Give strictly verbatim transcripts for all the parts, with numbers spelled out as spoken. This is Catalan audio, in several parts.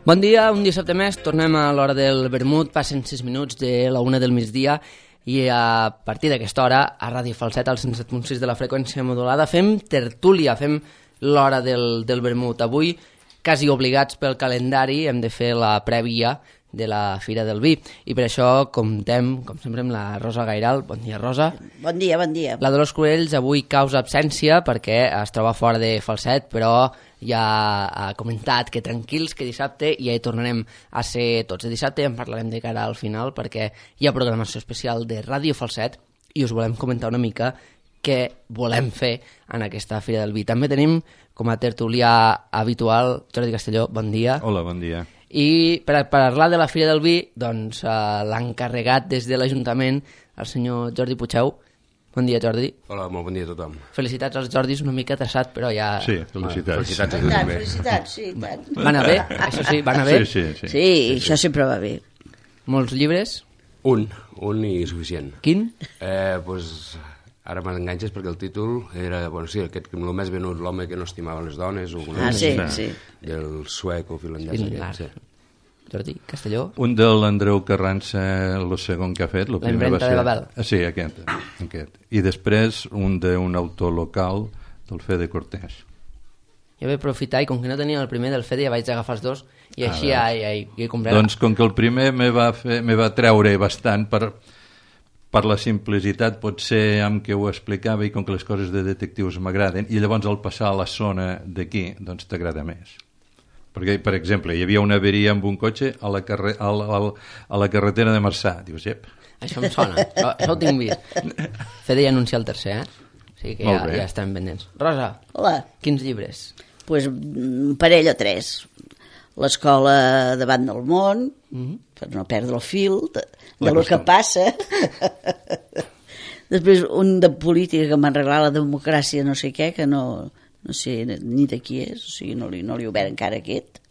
Bon dia, un dissabte més, tornem a l'hora del vermut, passen sis minuts de la una del migdia i a partir d'aquesta hora a Ràdio Falset, al cent set punt sis de la freqüència modulada, fem tertúlia, fem l'hora del, del vermut. Avui, quasi obligats pel calendari, hem de fer la prèvia de la Fira del Vi i per això comptem, com sempre, amb la Rosa Gairal. Bon dia, Rosa. Bon dia, bon dia. La Dolors Cruells avui causa absència perquè es troba fora de Falset, però ja ha comentat que tranquils, que dissabte ja hi tornarem a ser tots. De dissabte en parlarem de cara al final perquè hi ha programació especial de Ràdio Falset i us volem comentar una mica què volem fer en aquesta Fira del Vi. També tenim com a tertulià habitual Jordi Castelló, bon dia. Hola, bon dia. I per a parlar de la Fira del Vi, doncs eh, l'encarregat des de l'Ajuntament, el senyor Jordi Puigdeu. Bon dia, Jordi. Hola, molt bon dia a tothom. Felicitats als Jordis, una mica traçat, però ja... Sí, felicitats. Felicitats, Tant, felicitats, sí, tant. Va anar bé, això sí, va anar bé. Sí, sí, sí. Sí, sí, això sempre va bé. Molts llibres. Un, un i suficient. Quin? Eh, pues, ara m'enganxes perquè el títol era, bueno, sí, aquest, el més venut, l'home que no estimava les dones, o Ah, sí, sí. del suec o finlandès Finlar. aquest, sí. Jordi Castelló. Un de l'Andreu Carranza, el segon que ha fet. La impremta de Babel. Ah, sí, aquest, aquest. I després un d'un autor local del Fede Cortés. Jo vaig aprofitar i com que no tenia el primer del Fede ja vaig agafar els dos i així ja, ja, ja hi compraré. Doncs com que el primer me va, fer, me va treure bastant per, per la simplicitat potser amb què ho explicava i com que les coses de detectius m'agraden i llavors al passar a la zona d'aquí doncs t'agrada més. Perquè, per exemple, hi havia una averia amb un cotxe a la, carre a la, a la, a la carretera de Marçà. Dius, ep. Això em sona, això, això ho tinc vist. Fede ja anuncia el tercer, eh? O sigui que ja, ja estan pendents. Rosa, Hola. quins llibres? Pues, un parell o tres. L'escola davant del món, mm-hmm. per no perdre el fil de, de lo que passa. Després un de política que m'ha regalat la democràcia no sé què, que no... no sé ni de qui és, o sigui, no li, no li he obert encara aquest.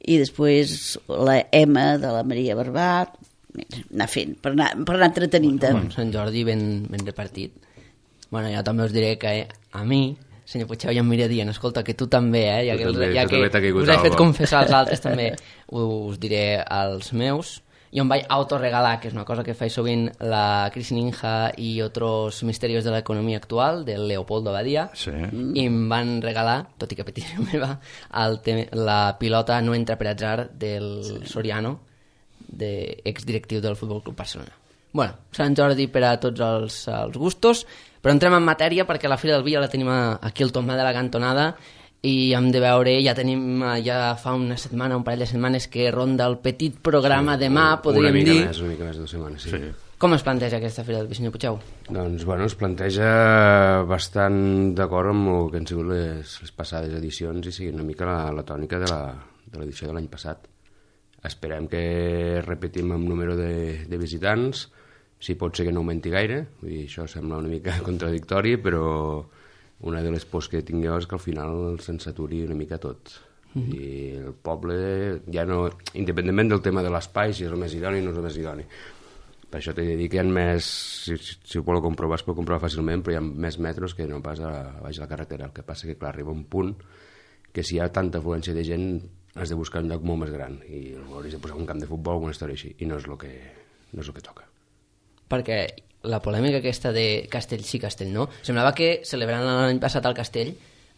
I després la M de la Maria Barbat, anar fent, per anar, per anar entretenint-te. Bueno, Sant Jordi ben, ben repartit. Bueno, jo també us diré que eh, a mi, senyor Puigdeu, ja em mira dient, escolta, que tu també, eh, ja Tu que, també, ja tu que també t'ha caigut us he fet algo. confessar als altres també, us diré als meus. Jo em vaig autoregalar, que és una cosa que faig sovint, la Crisis Ninja i Otros Misterios de la Economía Actual, del Leopoldo Badia, Sí. i em van regalar, tot i que petició meva, el te la pilota No entra per atzar del Soriano, de, exdirectiu del Futbol Club Barcelona. Bueno, Sant Jordi per a tots els, els gustos, però entrem en matèria perquè la Fira del Vi ja la tenim aquí al tombar de la cantonada i hem de veure, ja tenim ja fa una setmana, un parell de setmanes que ronda el petit programa sí, demà, podríem una mica dir. Més, una mica més de dues setmanes, sí. sí. Com es planteja aquesta Fira del Vi, senyor Puigdeu? Doncs, bueno, es planteja bastant d'acord amb el que han sigut les, les passades edicions i sigui una mica la, la tònica de l'edició de l'any passat. Esperem que repetim amb número de, de visitants, si pot ser que no augmenti gaire, vull dir, això sembla una mica contradictori, però una de les pors que tinc jo és que al final se'n saturi una mica tot. Mm-hmm. I el poble, ja no, independentment del tema de l'espai, si és el més idoni o no és el més idoni. Per això t'he de dir que hi ha més, si, si ho voleu comprovar, es pot comprovar fàcilment, però hi ha més metros que no pas a, a baix de la carretera. El que passa que, clar, arriba un punt que si hi ha tanta afluència de gent has de buscar un lloc molt més gran i hauries de posar un camp de futbol o una història així, i no és el que, no és el que toca. Perquè la polèmica aquesta de Castell sí, Castell no, semblava que celebrant l'any passat al Castell,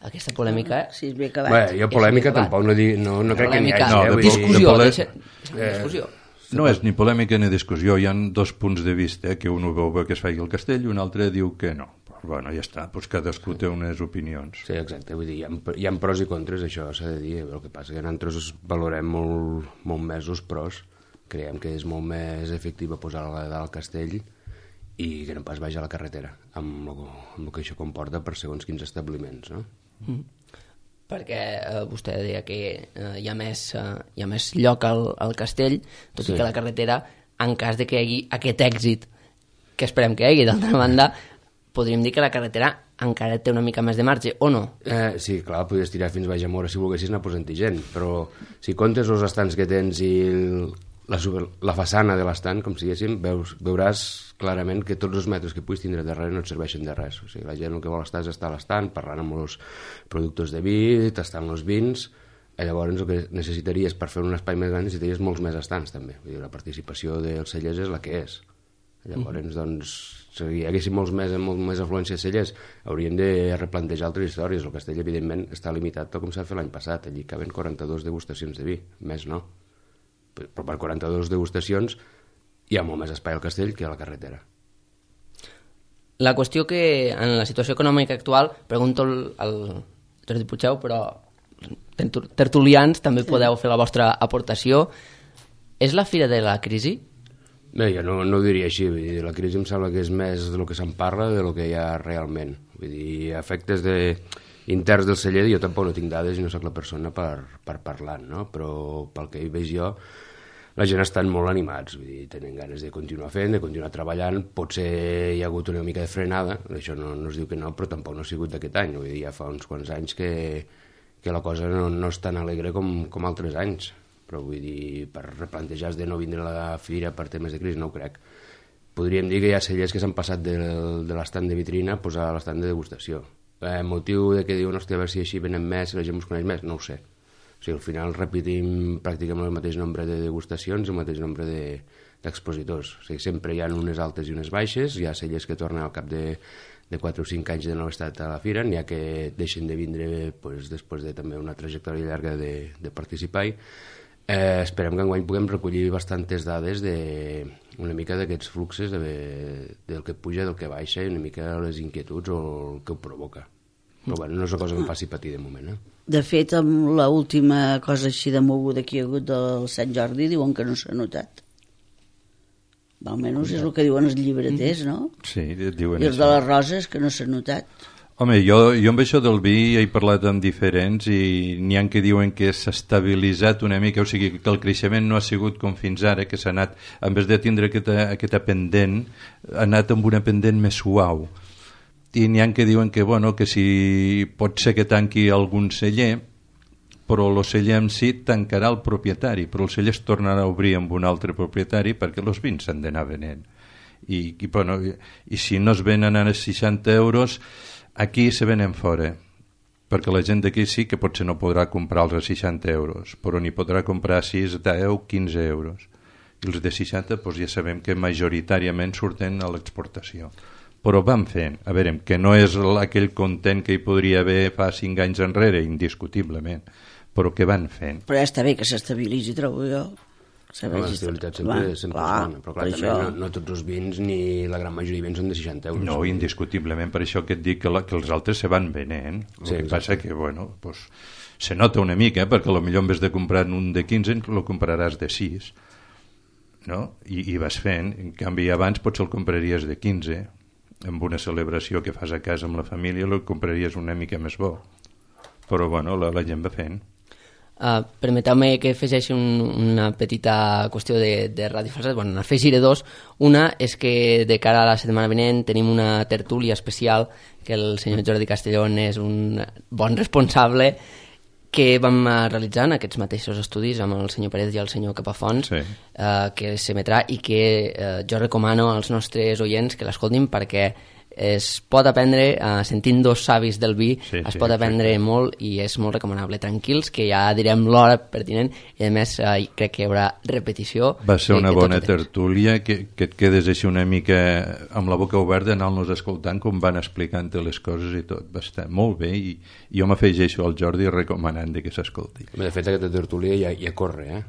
aquesta polèmica... Sí, és ben acabat. Bé, jo polèmica tampoc no, dic, no, no crec que n'hi hagi. No, eh, vull discussió, de pole- deixa, deixa Eh, discussió. No és ni polèmica ni discussió, hi ha dos punts de vista, que un ho veu bé que es faci el castell i un altre diu que no. Però, bueno, ja està, doncs cadascú té unes opinions. Sí, exacte, vull dir, hi ha, hi ha pros i contres, això s'ha de dir, el que passa que nosaltres valorem molt, molt més els pros, creiem que és molt més efectiva posar-la dalt al castell i que no pas vagi a la carretera, amb el, amb el que això comporta per segons quins establiments, no? Mm. Perquè eh, vostè deia que eh, hi, ha més, eh, hi ha més lloc al, al castell, tot sí. i que la carretera, en cas de que hi hagi aquest èxit, que esperem que hi hagi, d'altra banda, podríem dir que la carretera encara té una mica més de marge, o no? Eh, sí, clar, podries tirar fins baix a Mora si volguessis anar posant-hi gent, però si comptes els estants que tens i el, la, la façana de l'estant, com si diguéssim, veus, veuràs clarament que tots els metres que puguis tindre darrere no et serveixen de res. O sigui, la gent el que vol estar és estar a l'estant, parlant amb els productes de vi, tastant els vins, Llavors el que necessitaries per fer un espai més gran necessitaries molts més estants també. Vull dir, la participació dels cellers és la que és. Llavors, mm. doncs, si hi haguéssim molts més, molt més afluència de cellers, hauríem de replantejar altres històries. El castell, evidentment, està limitat tal com s'ha fet l'any passat. Allí caben quaranta-dues degustacions de vi, més no. Però per quaranta-dues degustacions hi ha molt més espai al castell que a la carretera. La qüestió que en la situació econòmica actual, pregunto al, al Jordi Puigdeu, però tertulians també podeu fer la vostra aportació. És la fira de la crisi? Bé, jo no, no ho diria així. Vull dir, la crisi em sembla que és més del que se'n parla del que hi ha realment. Vull dir, efectes de, interns del celler, jo tampoc no tinc dades i no sóc la persona per, per parlar, no? Però pel que hi veig jo, la gent estan molt animats, vull dir, tenen ganes de continuar fent, de continuar treballant. Potser hi ha hagut una mica de frenada, això no, no es diu que no, però tampoc no ha sigut d'aquest any. Vull dir, ja fa uns quants anys que, que la cosa no, no és tan alegre com, com altres anys. Però vull dir, per replantejar de no vindre a la fira per temes de crisi, no ho crec. Podríem dir que hi ha cellers que s'han passat de, de l'estant de vitrina a posar a l'estant de degustació. Eh, motiu de que diuen, hòstia, a veure si així venen més, si la gent us coneix més, no ho sé. O sigui, al final repetim pràcticament el mateix nombre de degustacions i el mateix nombre de, d'expositors. O sigui, sempre hi ha unes altes i unes baixes, hi ha cellers que tornen al cap de, de quatre o cinc anys de no haver estat a la fira, n'hi ha que deixen de vindre pues, després de també una trajectòria llarga de, de participar-hi. Eh, esperem que enguany puguem recollir bastantes dades de una mica d'aquests fluxes de, del que puja, del que baixa i una mica les inquietuds o el que ho provoca. Però bueno, no és una cosa que em faci patir de moment. Eh? De fet, amb l'última cosa així de moguda que hi ha hagut del Sant Jordi diuen que no s'ha notat. Almenys és el que diuen els llibreters, no? Sí, diuen I els això. de les roses, que no s'ha notat. Home, jo, jo amb això del vi he parlat amb diferents i n'hi ha que diuen que s'ha estabilitzat una mica, o sigui que el creixement no ha sigut com fins ara, que s'ha anat, en vez de tindre aquesta, aquesta pendent, ha anat amb una pendent més suau. I n'hi ha que diuen que, bueno, que si pot ser que tanqui algun celler, però el celler en si tancarà el propietari, però el celler es tornarà a obrir amb un altre propietari perquè els vins s'han d'anar venent. I, i, bueno, i, i si no es venen a seixanta euros, aquí se venen fora, perquè la gent d'aquí sí que potser no podrà comprar-los a seixanta euros, però n'hi podrà comprar sis, deu, quinze euros. I els de seixanta doncs ja sabem que majoritàriament surten a l'exportació. Però van fent, a veure, que no és aquell content que hi podria haver fa cinc anys enrere, indiscutiblement, però que van fent. Però ja està bé que s'estabilitzi, trobo jo. Home, l'estabilitat sempre, sempre és bona, però clar, també no, no tots els vins ni la gran majoria de vins són de seixanta euros. No, indiscutiblement, per això que et dic que, la, que els altres se van venent. El sí, que exacte. Passa que, bueno, pues, se nota una mica, eh, perquè potser en vez de comprar un de quinze, el compraràs de sis, no? I, i vas fent. En canvi, abans potser el compraries de quinze, amb una celebració que fas a casa amb la família, el compraries una mica més bo. Però, bueno, la, la gent va fent. Uh, permeteu-me que afegeixi un, una petita qüestió de, de Ràdio Falset. Bueno, n'afegiré dos. Una és que de cara a la setmana vinent tenim una tertúlia especial que el senyor Jordi Castellón és un bon responsable, que vam realitzar en aquests mateixos estudis amb el senyor Pérez i el senyor Capafons, sí. uh, que s'emetrà i que uh, jo recomano als nostres oients que l'escoltin perquè es pot aprendre, uh, sentint dos savis del vi, sí, es sí, pot aprendre exacte. Molt i és molt recomanable. Tranquils, que ja direm l'hora pertinent i a més uh, crec que hi haurà repetició. Va ser una bona tertúlia, que, que et quedes així una mica amb la boca oberta anant-nos escoltant com van explicant les coses i tot. Va estar molt bé i, i jo m'afegeixo al Jordi recomanant que s'escolti. De fet, aquesta tertúlia ja, ja corre, eh?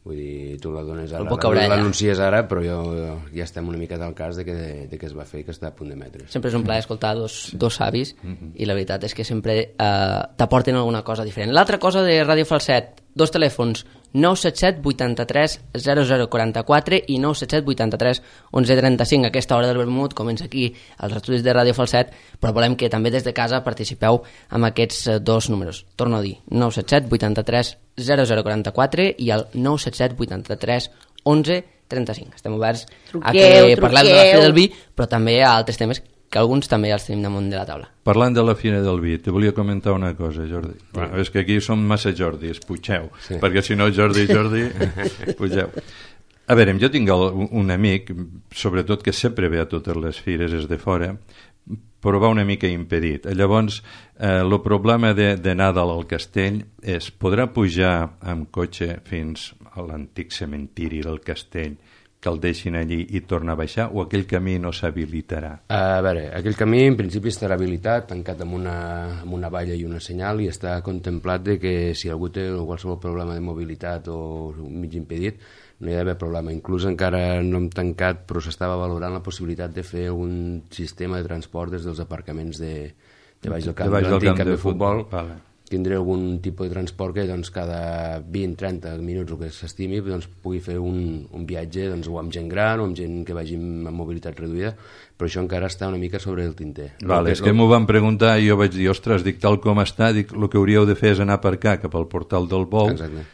Vull dir, tu la dones ara, l'anuncies ara, però jo, jo ja estem una mica del cas de que, de que es va fer i que està a punt d'emetre's. Sempre és un plaer escoltar dos, sí. dos savis mm-hmm. i la veritat és que sempre eh, t'aporten alguna cosa diferent. L'altra cosa de Ràdio Falset, dos telèfons, nou set set vuitanta-tres zero zero quaranta-quatre i nou set set vuitanta-tres onze trenta-cinc. Aquesta hora del vermut comença aquí als estudis de Ràdio Falset, però volem que també des de casa participeu amb aquests dos números. Torno a dir, nou set set vuitanta-tres zero zero quaranta-quatre i el nou set set vuitanta-tres onze trenta-cinc. Estem oberts truqueu, a que truqueu. Parlem de la Fira del Vi, però també a altres temes que alguns també els tenim damunt de la taula. Parlant de la Fira del Vi, te volia comentar una cosa, Jordi. Sí. Bueno, és que aquí som massa Jordis, Puigdeu, sí. Perquè si no Jordi, Jordi, Puigdeu. A veure, jo tinc el, un amic, sobretot que sempre ve a totes les fires, és de fora, però va una mica impedit. Llavors, eh, el problema de, d'anar dalt al castell és, podrà pujar amb cotxe fins a l'antic cementiri del castell, que el deixin allí i torna a baixar, o aquell camí no s'habilitarà? A veure, aquell camí en principi estarà habilitat, tancat amb una, amb una valla i una senyal, i està contemplat de que si algú té qualsevol problema de mobilitat o mig impedit, no hi ha d'haver problema. Inclús encara no hem tancat, però s'estava valorant la possibilitat de fer un sistema de transport des dels aparcaments de, de baix del camp de, de l'antic camp camp de, de futbol. Vale. Tindré algun tipus de transport que doncs, cada vint a trenta minuts, el que s'estimi, doncs, pugui fer un, un viatge doncs, o amb gent gran o amb gent que vagi amb mobilitat reduïda, però això encara està una mica sobre el tinter. Vale, és que m'ho van preguntar i jo vaig dir, ostres, dic, tal com està, dic, el que hauríeu de fer és anar per cá, cap al portal del Bou, exacte.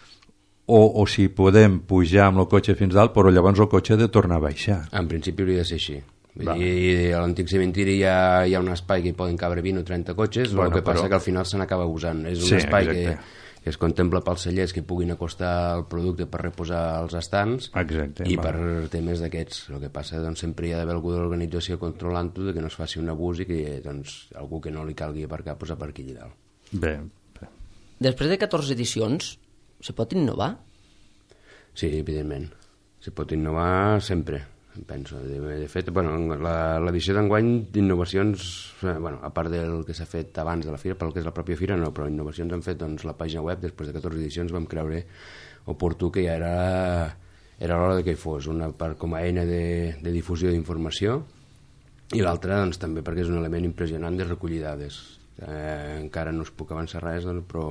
o, o si podem pujar amb el cotxe fins dalt, però llavors el cotxe ha de tornar a baixar. En principi hauria de ser així. I a l'antic cementiri hi ha, hi ha un espai que hi poden cabre vint o trenta cotxes, bueno, el que passa però... que al final se n'acaba usant. És un sí, espai que, exacte. que es contempla pels cellers que puguin acostar el producte per reposar els estants, exacte, i va. per temes d'aquests. El que passa doncs, sempre hi ha d'haver algú de l'organització controlant-ho, que no es faci un abús i que doncs, algú que no li calgui aparcar pues, aparqui allà dalt. Bé, bé. Després de catorze edicions, se pot innovar? Sí, evidentment. Se pot innovar sempre, penso. De, de fet, bueno, l'edició d'enguany d'innovacions, bueno, a part del que s'ha fet abans de la fira, pel que és la pròpia fira, no, però innovacions han fet doncs, la pàgina web. Després de catorze edicions vam creure oportú que ja era, era l'hora de que hi fos, una part com a eina de, de difusió d'informació, i l'altra doncs, també perquè és un element impressionant de recollir dades. Eh, encara no us puc avançar res, doncs, però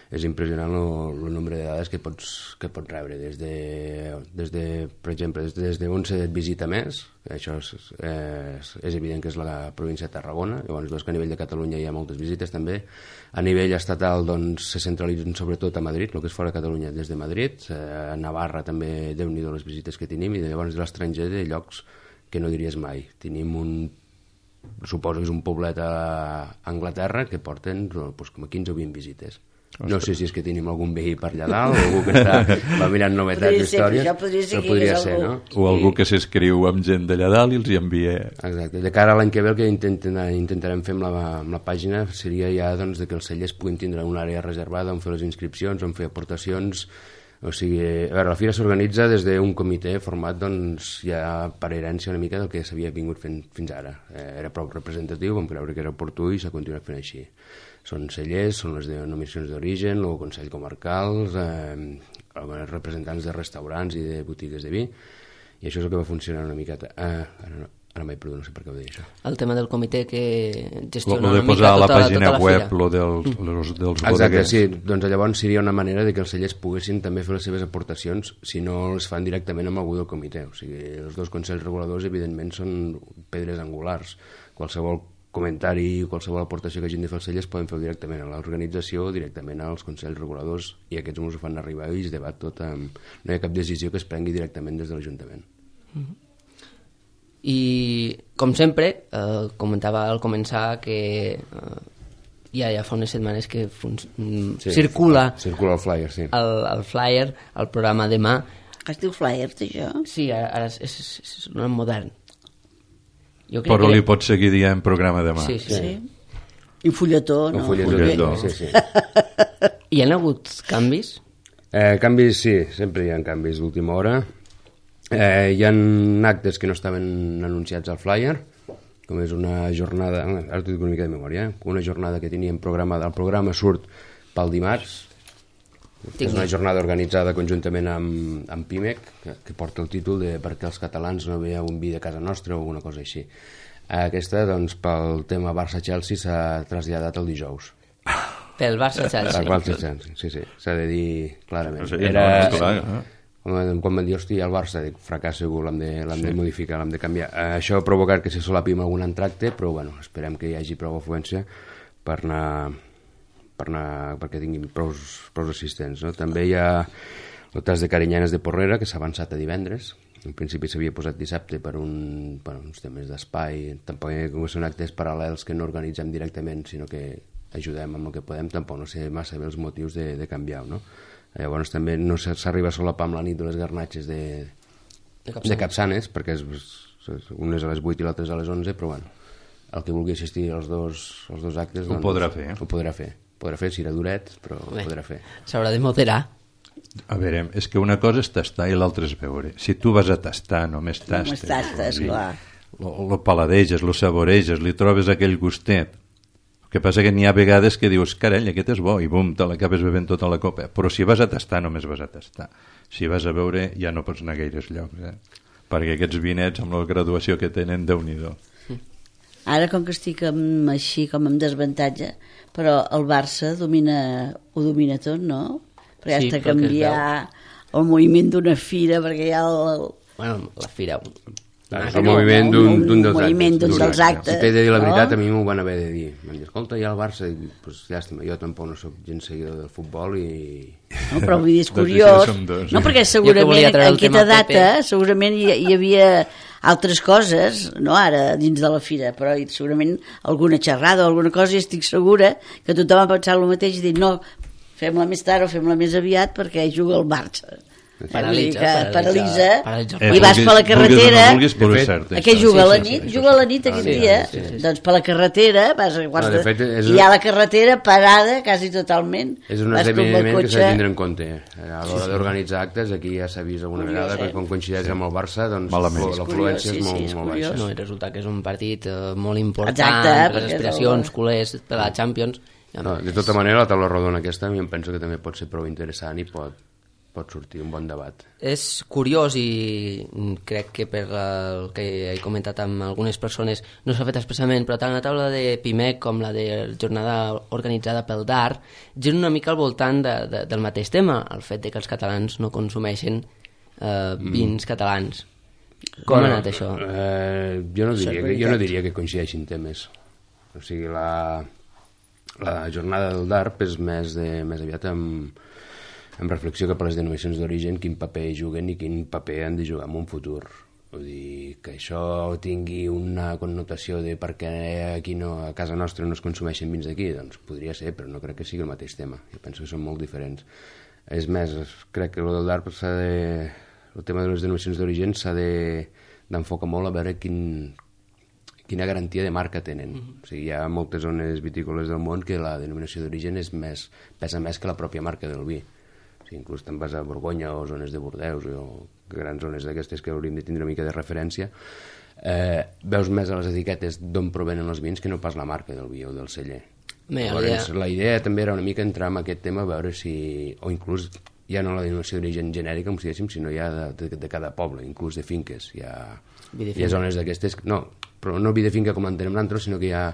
és impressionant el, el nombre de dades que pots, que pots rebre des de, des de, per exemple, des de, des de on se visita més. Això és, és, és evident que és la província de Tarragona. Llavors veus que a nivell de Catalunya hi ha moltes visites també. A nivell estatal doncs, se centralitzen sobretot a Madrid, el que és fora de Catalunya des de Madrid. A Navarra també, Déu-n'hi-do les visites que tenim, i llavors de l'estranger de llocs que no diries mai. Tenim un, suposo que és un poblet a Anglaterra que porten doncs, com a quinze o vint visites. No sé si és que tenim algun veí per allà dalt, o algú que està, va mirant novetats d'històries, podria ser, però podria ser, no? O algú que s'escriu amb gent d'allà dalt i els hi envia... Exacte. De cara a l'any que ve el que intenten, intentarem fer amb la, amb la pàgina seria ja doncs, de que els cellers puguin tindre una àrea reservada on fer les inscripcions, on fer aportacions. O sigui, a veure, la fira s'organitza des d'un comitè format doncs, ja per herència una mica del que s'havia vingut fent fins ara. Eh, era prou representatiu, vam creure que era oportú i s'ha continuat fent així. Són cellers, són les denominacions d'origen, el Consell Comarcal, eh, representants de restaurants i de botigues de vi, i això és el que va funcionar una miqueta. Eh, ara no, ara m'he perdut, no sé per què ho deia això. El tema del comitè que gestiona lo, lo una mica tota, tota la pàgina tota la web, fira. lo dels, los, dels Exacte, bodeguers. sí, doncs llavors seria una manera de que els cellers poguessin també fer les seves aportacions si no les fan directament amb algú del comitè. O sigui, els dos consells reguladors evidentment són pedres angulars. Qualsevol comentari i qualsevol aportació que hagin de fer els cellers poden fer directament a l'organització o directament als consells reguladors, i aquests ens ho fan arribar i es debat tot amb... no hi ha cap decisió que es prengui directament des de l'Ajuntament. Mm-hmm. I com sempre eh, comentava al començar que eh, ja, ja fa unes setmanes que sí, circula circula el flyer, sí. el, el flyer, el programa Demà. Es diu flyer, això? Sí, ara, ara és, és, és un modern. Jo crec però que... li pots seguir dient programa Demà. Sí, sí. sí. I fulletó, no? El fulletó, fulletó. Sí, sí. Hi ha hagut canvis? Eh, canvis, sí, sempre hi ha canvis d'última hora. Eh, hi ha actes que no estaven anunciats al flyer, com és una jornada, ara t'ho dic una mica de memòria, eh? Una jornada que teníem programada, el programa surt pel dimarts, que és una jornada organitzada conjuntament amb, amb Pimec, que, que porta el títol de Per què els catalans no veiem un vi de casa nostra o alguna cosa així. Aquesta, doncs, pel tema Barça-Chelsea s'ha traslladat el dijous. Pel Barça-Chelsea. El Barça-Chelsea, sí, sí, s'ha de dir clarament. No sé, Era... no, no, clar, eh? Quan, quan van dir, hòstia, el Barça, dic, fracàs segur, l'hem de, l'hem sí. de modificar, l'hem de canviar. Eh, això ha provocat que se solapi amb algun entracte, però bueno, esperem que hi hagi prou afluència per anar, per anar perquè tinguin prou, prou assistents. No? També hi ha el tas de Carinyanes de Porrera, que s'ha avançat a divendres. En principi s'havia posat dissabte per un, per uns temes d'espai. Tampoc són actes paral·lels que no organitzem directament, sinó que ajudem amb el que podem. Tampoc no sé massa bé els motius de, de canviar-ho, no? Llavors també no s'arriba a solapar amb la nit de les garnatxes de, de, Capçanes. de Capçanes, perquè és, és, unes a les vuit i l'altres a les onze, però bueno, el que vulgui assistir als dos, als dos actes ho doncs, podrà fer. Ho podrà fer. Podrà fer, serà duret, però ho Bé, podrà fer. S'haurà de moderar. A veure, és que una cosa és tastar i l'altra és veure. Si tu vas a tastar, només tastes. Només tastes, clar. Lo, lo paladeges, lo saboreges, li trobes aquell gustet. El que passa que n'hi ha vegades que dius, carall, aquest és bo, i bum, te l'acabes bevent tota la copa. Però si vas a tastar, només vas a tastar. Si vas a veure, ja no pots anar a gaires llocs, eh? Perquè aquests vinets, amb la graduació que tenen, Déu-n'hi-do. Ara, com que estic amb, així, com amb desavantatge, però el Barça domina, ho domina tot, no? Però ja Sí, està però que es canviar el moviment d'una fira, perquè hi ha el... Bueno, la fira... Clar, és no, el moviment no, d'un un d'un dels moviment actes. d'un dels actes, Si t'he de dir la no? veritat, a mi m'ho van haver de dir. Van dir, escolta, hi ha el Barça. I dic, pues, llàstima, jo tampoc no soc gens seguidor del futbol i... No, però vull dir, és Doncs curiós. això som dos. No, perquè Jo que volia segurament treure en el tema aquesta Pepe. data segurament hi, hi havia altres coses, no ara, dins de la fira, però hi- segurament alguna xerrada o alguna cosa, i estic segura que tothom ha pensat el mateix i dit, no, fem-la més tard o fem-la més aviat perquè juga el Barça. Paralitza, Vull dir que paralitza, paralitza, paralitza. i vas per la carretera, Vulguis, vulguis, però De és fet, cert. a què això. juga a la Sí, sí, nit? sí, Juga a la nit aquest sí, dia. sí, sí, sí. Doncs per la carretera vas a quarts No, de... de fet, és- i hi ha la carretera parada quasi totalment. És un Vas com el esdeveniment que cotxe. s'ha de tindre en compte. A l'hora d'organitzar actes, aquí ja s'ha vist alguna Curiós, vegada que eh? quan coincideix amb el Barça, doncs Malament. l'afluència És curiós, és molt, sí, sí, és molt curiós. baixa. No, i resulta que és un partit eh, molt important Exacte, per les perquè és aspiracions el- culers per la Champions. I, a No, més, de tota manera, la taula rodona aquesta a mi em penso que també pot ser prou interessant i pot, pot sortir un bon debat. És curiós i mm, crec que per el que he comentat amb algunes persones no s'ha fet expressament, però tant la taula de Pimec com la de jornada organitzada pel D A R giren una mica al voltant de, de, del mateix tema, el fet de que els catalans no consumeixen eh, vins catalans. Com ha anat això? Eh, jo, no Això és diria que, veritat. jo no diria que coincideixin temes. O sigui, la, la jornada del D A R P és més, de, més aviat amb, amb reflexió cap a les denominacions d'origen, quin paper juguen i quin paper han de jugar en un futur. Vull dir, que això tingui una connotació de per què aquí no, a casa nostra no es consumeixen vins d'aquí, doncs podria ser, però no crec que sigui el mateix tema. Jo penso que són molt diferents. És més, crec que el del D A R P s'ha de... el tema de les denominacions d'origen s'ha de, d'enfocar molt a veure quin, quina garantia de marca tenen. Mm-hmm. O sigui, hi ha moltes zones vitícoles del món que la denominació d'origen és més, pesa més que la pròpia marca del vi. O sigui, inclús te'n vas a Borgonya o zones de Bordeus o grans zones d'aquestes que hauríem de tindre una mica de referència, eh, veus més a les etiquetes d'on provenen els vins que no pas la marca del vi o del celler. Bé, Llavors, idea- la idea també era una mica entrar en aquest tema a veure si, o inclús ja no la denominació d'origen genèrica, com si diguéssim, sinó ja de, de, de cada poble, inclús de finques. Hi ha, Vi de hi ha finca. zones d'aquestes, no, però no vi de finca com entenem nosaltres, sinó que hi ha,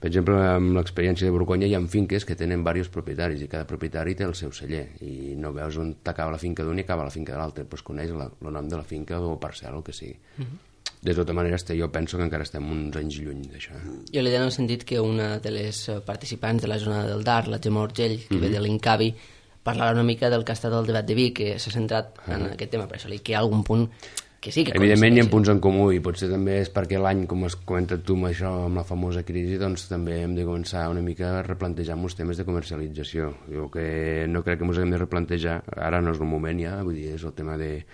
per exemple, amb l'experiència de Borgonya hi ha finques que tenen diversos propietaris i cada propietari té el seu celler i no veus on t'acaba la finca d'un i acaba la finca de l'altre, doncs coneix la, el nom de la finca o parcel·la, el que sigui. Uh -huh. De tota manera, este, jo penso que encara estem uns anys lluny d'això. Eh? Jo l'he dit en el sentit que una de les eh, participants de la jornada del D A R, la Gemma Urgell, que Mhm. ve de l'Incavi, parlava una mica del que ha estat el debat de vi, que s'ha centrat en aquest tema, per això li que hi ha algun punt que sí que Evidentment hi ha coincideixi. punts en comú i potser també és perquè l'any, com has comentat tu amb això, amb la famosa crisi, doncs també hem de començar una mica a replantejar molts temes de comercialització. Jo que no crec que ens hem de replantejar, ara no és el moment ja, vull dir, és el tema de,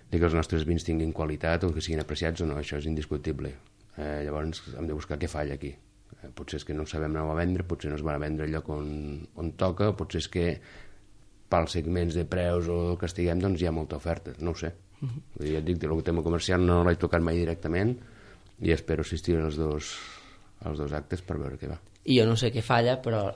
de que els nostres vins tinguin qualitat o que siguin apreciats o no, això és indiscutible. Eh, llavors hem de buscar què falla aquí. Eh, potser és que no sabem anar a vendre, potser no es van a vendre al lloc on, on toca, potser és que pels segments de preus o el que estiguem, doncs hi ha molta oferta, no ho sé. Uh-huh. Ja et dic, el tema comercial no l'he tocat mai directament i espero assistir als dos, als dos actes per veure què va. I jo no sé què falla, però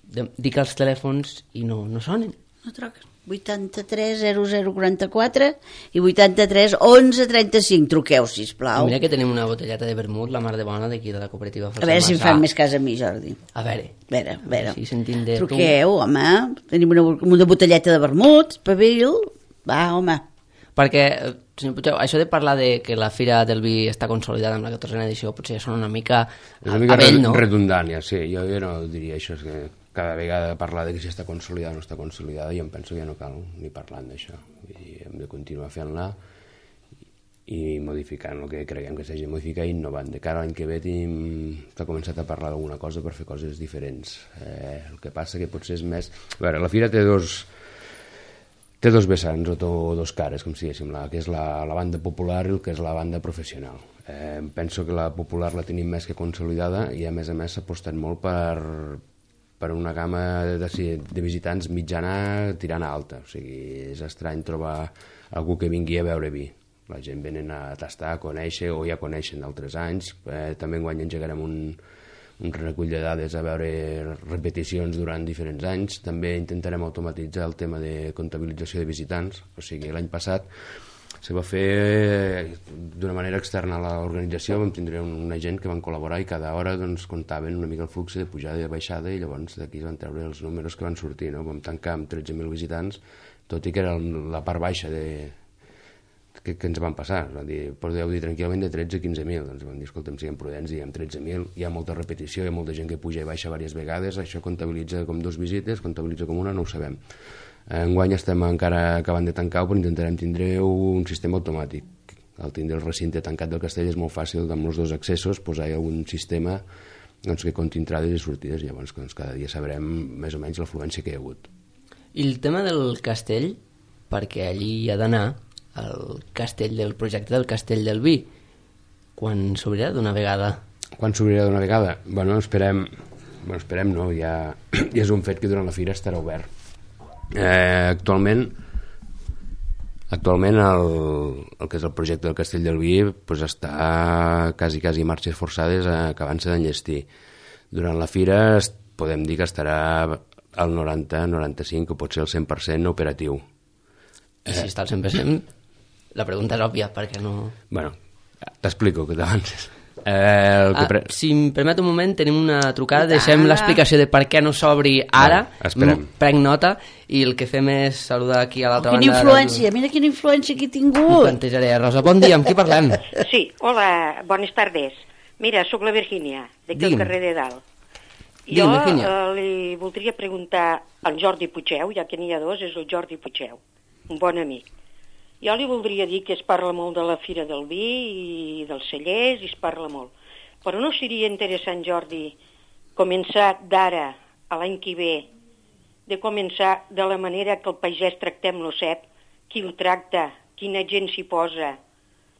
de- dic els telèfons i no, no sonen. No truques. vuitanta-tres zero zero quaranta-quatre i vuitanta-tres onze trenta-cinc. Truqueu, sisplau. Mira que tenim una botelleta de vermut, la mar de bona, d'aquí de la cooperativa A veure si em fan més cas a mi, Jordi. A veure, A veure, a veure. si sentim de tu. Truqueu, home. Tenim una, una botelleta de vermut, pavil. Va, home. Perquè, eh, senyor Puigdeu, això de parlar de que la Fira del Vi està consolidada amb la catorzena edició potser ja sona una mica És una mica a vell, red- no? redundant, ja, sí. Jo, jo no diria això, és que cada vegada parlar de que si està consolidada o no està consolidada, jo em penso que ja no cal ni parlant d'això. Vull dir, hem de continuar fent-la i modificant el que creguem que s'hagi de modificar i innovant. De cara a l'any que ve tenim... s'ha començat a parlar d'alguna cosa per fer coses diferents. Eh, el que passa que potser és més... A veure, la Fira té dos... té dos vessants o to, dos cares, com si diguéssim, la, que és la, la banda popular i el que és la banda professional. Eh, penso que la popular la tenim més que consolidada i a més a més s'ha apostat molt per, per una gamma de, de visitants mitjana tirant a alta. O sigui, és estrany trobar algú que vingui a veure vi. La gent venen a tastar, a conèixer o ja coneixen d'altres anys. Eh, també enguany engegarem un, un recull de dades a veure repeticions durant diferents anys. També intentarem automatitzar el tema de comptabilització de visitants. O sigui, l'any passat se va fer d'una manera externa a l'organització, vam tindre una gent que van col·laborar i cada hora doncs, comptaven una mica el flux de pujada i de baixada i llavors d'aquí van treure els números que van sortir. No? Vam tancar amb tretze mil visitants, tot i que era la part baixa de, que, que ens van passar. Van dir, podeu dir tranquil·lament de tretze a quinze mil. Doncs vam dir, escolta'm, siguem prudents, diguem tretze mil, hi ha molta repetició, hi ha molta gent que puja i baixa diverses vegades, això comptabilitza com dues visites, comptabilitza com una, no ho sabem. Enguany estem encara acabant de tancar, però intentarem tindre un sistema automàtic. Al tindre el recinte tancat del castell és molt fàcil, amb els dos accessos, posar un sistema doncs, que compti entrades i sortides, i llavors doncs, cada dia sabrem més o menys l'afluència que hi ha hagut. I el tema del castell, perquè allí hi ha d'anar, el castell del projecte del Castell del Vi, quan s'obrirà d'una vegada? Quan s'obrirà d'una vegada? Bueno, esperem, bueno, esperem no, ja, ja és un fet que durant la fira estarà obert. Eh, actualment actualment el, el que és el projecte del Castell del Vi pues està quasi quasi marxes forçades acabant-se d'enllestir. Durant la fira podem dir que estarà al noranta noranta-cinc o potser al cent per cent operatiu. I si està al cent per cent, la pregunta és òbvia, perquè no... Bueno, t'explico que t'avances. Eh, ah, pre... Si em permet un moment, tenim una trucada, deixem l'explicació de per què no s'obri ara, no, prenc nota, i el que fem és saludar aquí a l'altra oh, banda. Quina influència, del... mira quina influència que he tingut. Ho plantejaré. Rosa, bon dia, amb qui parlem? Sí, hola, bones tardes. Mira, sóc la Virgínia, d'aquí al carrer de Dalt. Digue'm, jo Virgínia. eh, li voldria preguntar al Jordi Puigeu, ja que n'hi ha dos, és el Jordi Puigeu, un bon amic. Jo li voldria dir que es parla molt de la Fira del Vi i dels cellers, i es parla molt. Però no seria interessant, Jordi, començar d'ara a l'any que ve, de començar de la manera que el pagès tractem lo cep, qui el tracta, quina gent s'hi posa,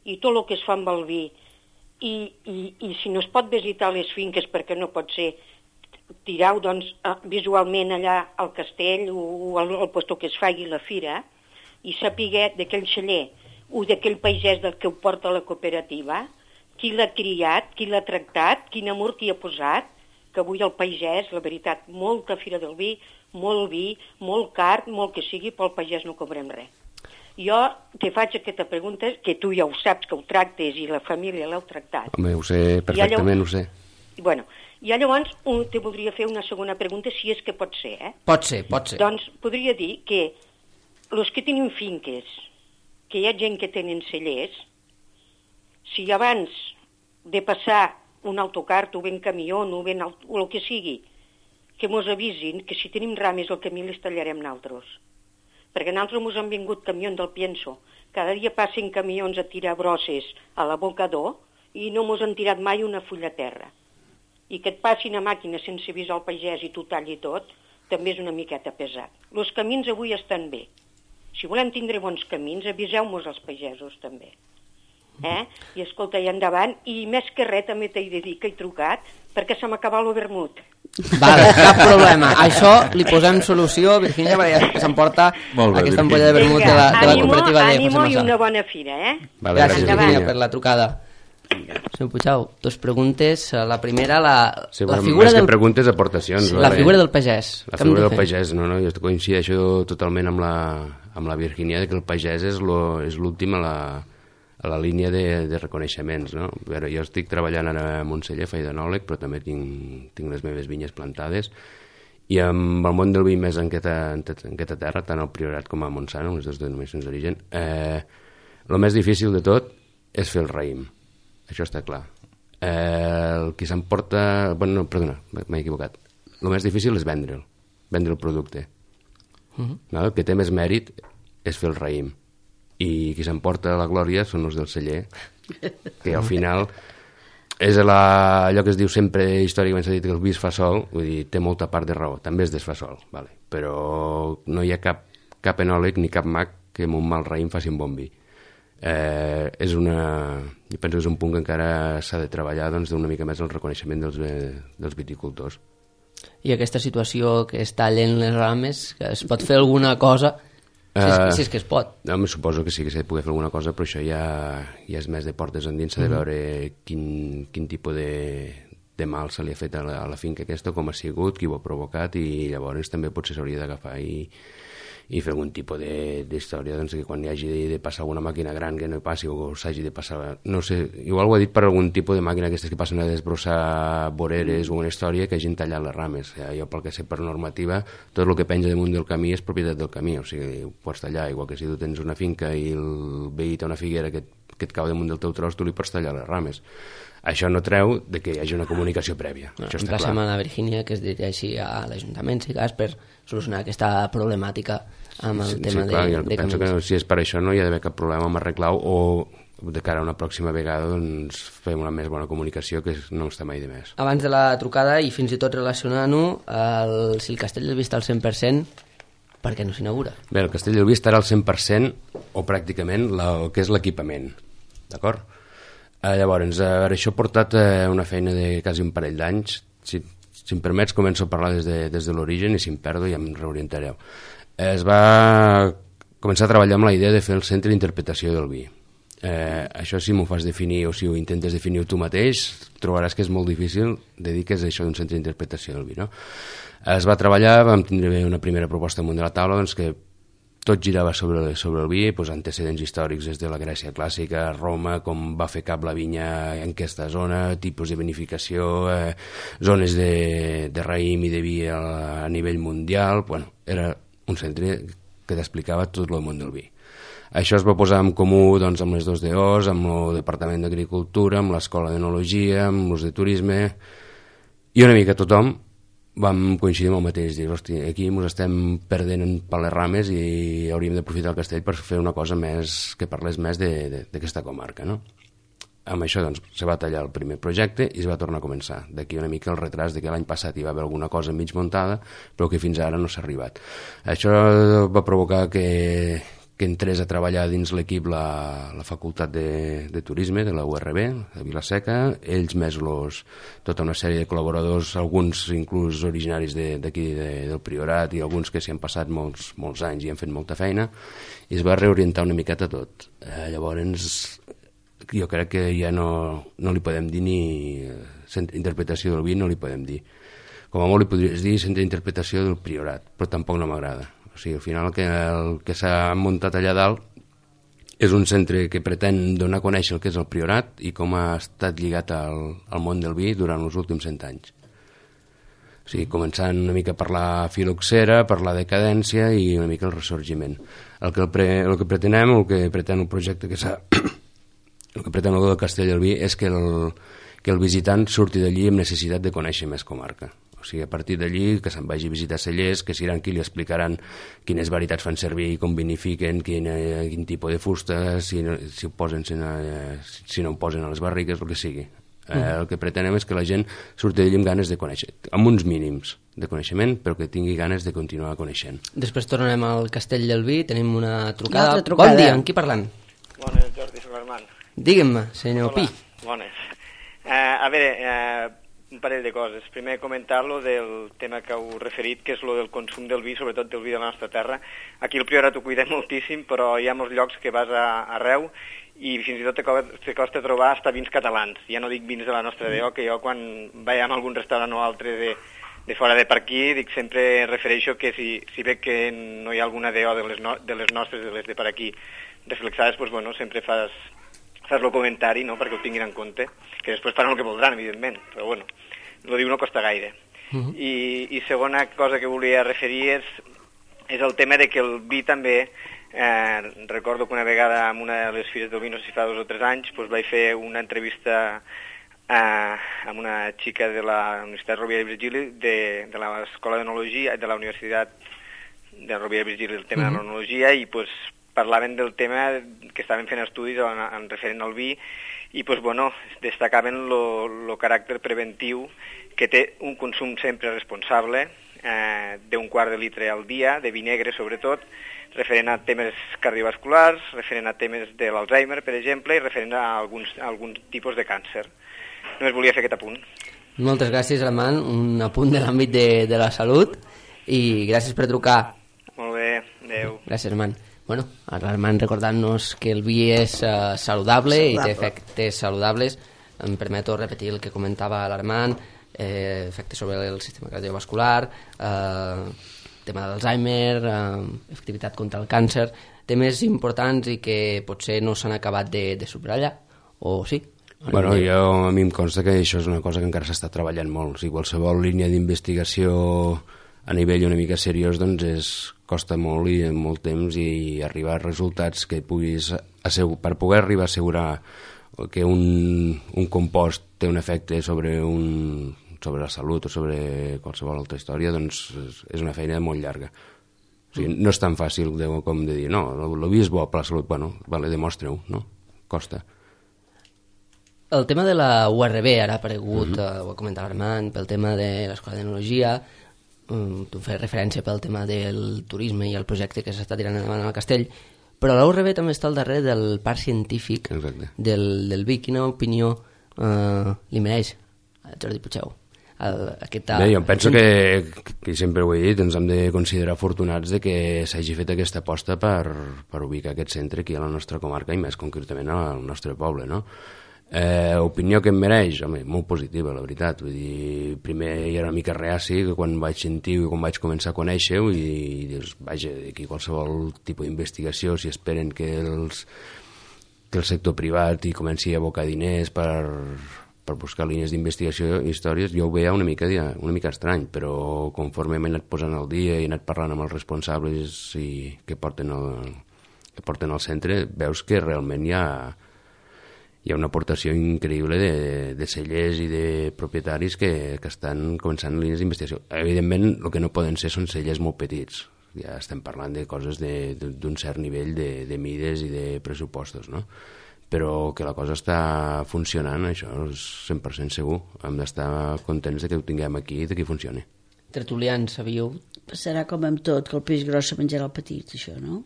i tot el que es fa amb el vi. I, i, i si no es pot visitar les finques, perquè no pot ser, tirau doncs, visualment allà al castell o al, al lloc que es faci la fira, i sapiguer d'aquell celler o d'aquell pagès del que ho porta a la cooperativa, qui l'ha criat, qui l'ha tractat, quin amor qui ha posat, que avui el pagès, la veritat, molta Fira del Vi, molt vi, molt car, molt que sigui, pel pagès no cobrem res. Jo te faig aquesta pregunta, que tu ja ho saps, que ho tractes i la família l'heu tractat. Home, ho sé, perfectament ho sé. Bueno, i llavors un, te voldria fer una segona pregunta, si és que pot ser, eh? Pot ser, pot ser. Doncs podria dir que els que tenen finques, que hi ha gent que tenen cellers, si abans de passar un autocar, o ben camió, o ben el, o el que sigui, que mos avisin que si tenim rames al camí les tallarem naltros. Perquè naltros mos han vingut camions del Pienso. Cada dia passen camions a tirar brosses a l'abocador i no mos han tirat mai una fulla a terra. I que et passin a màquina sense avisar al pagès i tu talli tot, també és una miqueta pesat. Els camins avui estan bé. Si volem tindre bons camins, aviseu-mos als pagesos també. Eh? I escolta, i endavant, i més que res també t'he de dir que he trucat perquè se m'ha acabat el vermut. Vale, cap problema. Això li posem solució, Virgínia, perquè s'emporta aquesta ampolla de vermut de la, de la cooperativa de José Ànimo i Massa. una bona fira, eh? Vale, gràcies, gràcies, Virgínia, per la trucada. Senyor Puigau, dos preguntes. La primera, la, sí, la bueno, figura més del... que preguntes, aportacions. La vale? figura del pagès. La Què hem figura de del fer? pagès, no, no, jo coincideixo totalment amb la, amb la Virgínia, que el pagès és l'últim a la, a la línia de, de reconeixements, no? A veure, jo estic treballant ara a Montseller, faig d'enòleg, però també tinc, tinc les meves vinyes plantades, i amb el món del vi més en aquesta, en aquesta terra, tant al Priorat com a Montsant, les dues denominacions d'origen, eh, el més difícil de tot és fer el raïm. Això està clar. Eh, el qui s'emporta... Bueno, no, perdona, m'he equivocat. El més difícil és vendre'l, vendre el producte. Uh -huh. No? El que té més mèrit és fer el raïm. I qui s'emporta la glòria són els del celler, que al final és la, allò que es diu sempre històricament s'ha dit que el vi es fa sol, vull dir, té molta part de raó, també es desfà sol, vale. Però no hi ha cap, cap enòleg ni cap mag que amb un mal raïm faci un bon vi. Eh, és una... Jo penso que és un punt que encara s'ha de treballar doncs, d'una mica més el reconeixement dels, eh, dels viticultors. I aquesta situació que es tallen les rames, que es pot fer alguna cosa, si és, uh, si és que es pot? No, suposo que sí que s'ha de poder fer alguna cosa, però això ja, ja és més de portes endins, s'ha de veure quin, quin tipus de, de mal se li ha fet a la, a la finca aquesta, com ha sigut, qui ho ha provocat, i llavors també potser s'hauria d'agafar i, i fer algun tipus d'història, doncs que quan hi hagi de, de passar alguna màquina gran que no hi passi, o s'hagi de passar, no sé, igual ho ha dit per algun tipus de màquina aquestes que passen a desbrossar voreres o una història que hagin tallat les rames. Jo pel que sé per normativa, tot el que penja damunt del camí és propietat del camí, o sigui, ho pots tallar, igual que si tu tens una finca i el veí té una figuera que, que et cau damunt del teu tros, tu li pots tallar les rames. Això no treu de que hi hagi una comunicació prèvia. No, això està clar. Emplacem a la Virgínia que es dirigeixi a l'Ajuntament, si cas, per solucionar aquesta problemàtica amb el sí, tema sí, clar, de, jo de penso camins. que si és per això no hi ha d'haver cap problema amb arreglar o de cara a una pròxima vegada doncs, fem una més bona comunicació, que no està mai de més. Abans de la trucada, i fins i tot relacionant-ho, el, si el Castell del Vi està al cent per cent, per què no s'inaugura? Bé, el Castell del Vi estarà al cent per cent, o pràcticament, la, el que és l'equipament, d'acord? Eh, llavors, a veure, això ha portat eh, una feina de quasi un parell d'anys. Si, si em permets, començo a parlar des de, des de l'origen, i si em perdo ja em reorientareu. Eh, es va començar a treballar amb la idea de fer el centre d'interpretació del vi. Eh, això, si m'ho fas definir o si ho intentes definir tu mateix, trobaràs que és molt difícil de dir que és això d'un centre d'interpretació del vi, no? Es va treballar, vam tindre una primera proposta amunt de la taula, doncs que tot girava sobre, sobre el vi, doncs antecedents històrics des de la Grècia clàssica, Roma, com va fer cap la vinya en aquesta zona, tipus de vinificació, eh, zones de, de raïm i de vi a, a nivell mundial. Bueno, era un centre que t'explicava tot el món del vi. Això es va posar en comú doncs, amb les dos D Os, amb el Departament d'Agricultura, amb l'Escola d'Enologia, amb els de Turisme, i una mica tothom vam coincidir amb el mateix, dir, hosti, aquí ens estem perdent per les rames i hauríem d'aprofitar el castell per fer una cosa més que parlés més d'aquesta comarca, no? Amb això, doncs, se va tallar el primer projecte i es va tornar a començar. D'aquí una mica el retras de que l'any passat hi va haver alguna cosa mig muntada, però que fins ara no s'ha arribat. Això va provocar que, que entrés a treballar dins l'equip la, la Facultat de, de Turisme de la U R B, de Vila-seca, ells més los, tota una sèrie de col·laboradors, alguns inclús originaris d'aquí de, de, del Priorat i alguns que s'hi han passat molts, molts anys i han fet molta feina, i es va reorientar una miqueta tot. Eh, llavors, jo crec que ja no, no li podem dir ni centre d'interpretació del vi, no li podem dir. Com a molt li podries dir centre d'interpretació del Priorat, però tampoc no m'agrada. O sigui, al final el que, el que s'ha muntat allà dalt és un centre que pretén donar a conèixer el que és el Priorat i com ha estat lligat al, al món del vi durant els últims cent anys. O sigui, començant una mica per la filoxera, per la decadència i una mica el ressorgiment. El que, el pre, el que pretenem, el que pretén el projecte que s'ha... el que pretén el del Castell del Vi és que el, que el visitant surti d'allí amb necessitat de conèixer més comarca. O sigui, a partir d'allí, que se'n vagi a visitar cellers, que seran qui li explicaran quines varietats fan servir i com vinifiquen, quin, eh, quin tipus de fusta, si, no, si, ho posen, si, no, eh, si no ho posen a les barriques, el que sigui. Eh, mm. El que pretenem és que la gent surti d'allí amb ganes de conèixer, amb uns mínims de coneixement, però que tingui ganes de continuar coneixent. Després tornarem al Castell del Vi, tenim una trucada. Una trucada. Bon dia, amb qui parlant? Bones, Jordi Solerman. Digue'm, senyor Hola, Pi. bones. Uh, a veure, uh, un parell de coses. Primer, comentar-lo del tema que heu referit, que és lo del consum del vi, sobretot del vi de la nostra terra. Aquí al Priorat ho cuidem moltíssim, però hi ha molts llocs que vas a, arreu i fins i tot te costa, te costa trobar hasta vins catalans. Ja no dic vins de la nostra D O, que jo quan vaig a algun restaurant o altre de, de fora de per aquí, dic, sempre refereixo que si, si veig que no hi ha alguna D O de les, no, de les nostres, de les de per aquí, reflexades, doncs, bueno, sempre fas... fas el comentari, no?, perquè ho tinguin en compte, que després faran el que voldran, evidentment, però bueno, el diu no costa gaire. Uh-huh. I, I segona cosa que volia referir és, és el tema de que el vi també, eh, recordo que una vegada en una de les fires del vi, no sé si fa dos o tres anys, doncs vaig fer una entrevista eh, amb una xica de la Universitat Rovira i Virgili, de, de l'Escola d'Enologia, de la Universitat de Rovira i Virgili, el tema uh-huh. de l'enologia, i doncs parlaven del tema que estaven fent estudis en, en referent al vi i pues, bueno, destacaven el caràcter preventiu que té un consum sempre responsable eh, d'un quart de litre al dia, de vi negre sobretot, referent a temes cardiovasculars, referent a temes de l'Alzheimer, per exemple, i referent a alguns, a alguns tipus de càncer. Només volia fer aquest apunt. Moltes gràcies, Armand, un apunt de l'àmbit de, de la salut, i gràcies per trucar. Molt bé, adeu. Gràcies, Armand. Bueno, l'Armand recordant-nos que el vi és uh, saludable, saludable i té efectes saludables. Em permeto repetir el que comentava l'Armand, eh, efectes sobre el sistema cardiovascular, eh, tema d'Alzheimer, eh, efectivitat contra el càncer, temes importants i que potser no s'han acabat de, de subratllar, o sí? Bueno, jo, a mi em consta que això és una cosa que encara s'està treballant molt. Si qualsevol línia d'investigació a nivell una mica seriós, doncs és, costa molt i molt temps, i arribar a resultats que puguis assegurar, per poder arribar a assegurar que un, un compost té un efecte sobre un sobre la salut o sobre qualsevol altra història, doncs és una feina molt llarga. O sigui, no és tan fàcil de, com de dir, no, el vi és bo per la salut, bueno, vale, demostra-ho, no? Costa. El tema de la U R B ara ha aparegut, uh-huh. eh, ho ha comentat l'Armand, pel tema de l'Escola d'Enologia, um, tu fes referència pel tema del turisme i el projecte que s'està tirant endavant al Castell, però la U R B també està al darrere del parc científic del, del vi. Quina opinió eh, li mereix a Jordi Puigdeu? El, aquesta... Bé, jo penso que, que sempre ho he dit, ens hem de considerar afortunats de que s'hagi fet aquesta aposta per, per ubicar aquest centre aquí a la nostra comarca i més concretament al nostre poble, no? Eh, opinió que em mereix? Home, molt positiva, la veritat. Vull dir, primer hi era una mica reaci que quan vaig sentir i quan vaig començar a conèixer-ho i, i dius, vaja, aquí qualsevol tipus d'investigació, si esperen que, els, que el sector privat hi comenci a abocar diners per... per buscar línies d'investigació i històries, jo ho veia una mica, una mica estrany, però conforme m'he anat posant al dia i he anat parlant amb els responsables i que porten el, que porten el centre, veus que realment hi ha, hi ha una aportació increïble de, de cellers i de propietaris que, que estan començant línies d'investigació. Evidentment, el que no poden ser són cellers molt petits. Ja estem parlant de coses de, de, d'un cert nivell de, de mides i de pressupostos, no? Però que la cosa està funcionant, això és cent per cent segur. Hem d'estar contents de que ho tinguem aquí i de que funcioni. Tertulians, sabíeu? Serà com amb tot, que el peix gros se menjarà el petit, això, no?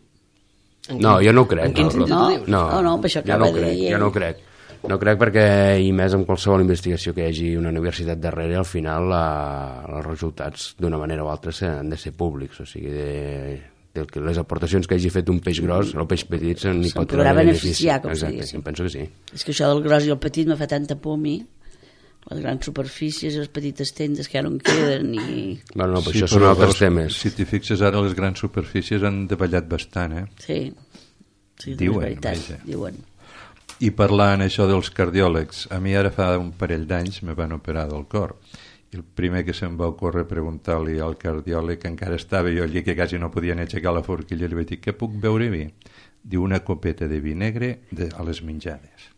No, jo no ho crec. En quin sentit no? ho dius? No, no, no, per això jo no ho crec, jo no ho crec. No crec perquè, i més amb qualsevol investigació que hi hagi una universitat darrere, al final la, els resultats d'una manera o altra han de ser públics, o sigui, de... que les aportacions que hagi fet un peix gros, el peix petit se'n pot podrà beneficiar, com Exacte, sí. penso que sí. És que això del gros i el petit me fa tanta por a mi, les grans superfícies, les petites tendes que ja no en queden i... Bueno, no, però sí, això són altres els, temes. Si t'hi fixes ara, les grans superfícies han davallat bastant, eh? Sí, sí, diuen, és veritat, vaja. diuen. I parlant això dels cardiòlegs, a mi ara fa un parell d'anys me van operar del cor. I el primer que se'm va ocórrer preguntar-li al cardiòleg, que encara estava jo allí, que quasi no podia ni aixecar la forquilla, li vaig dir, què puc beure vi? Diu, una copeta de vi negre de, a les menjades.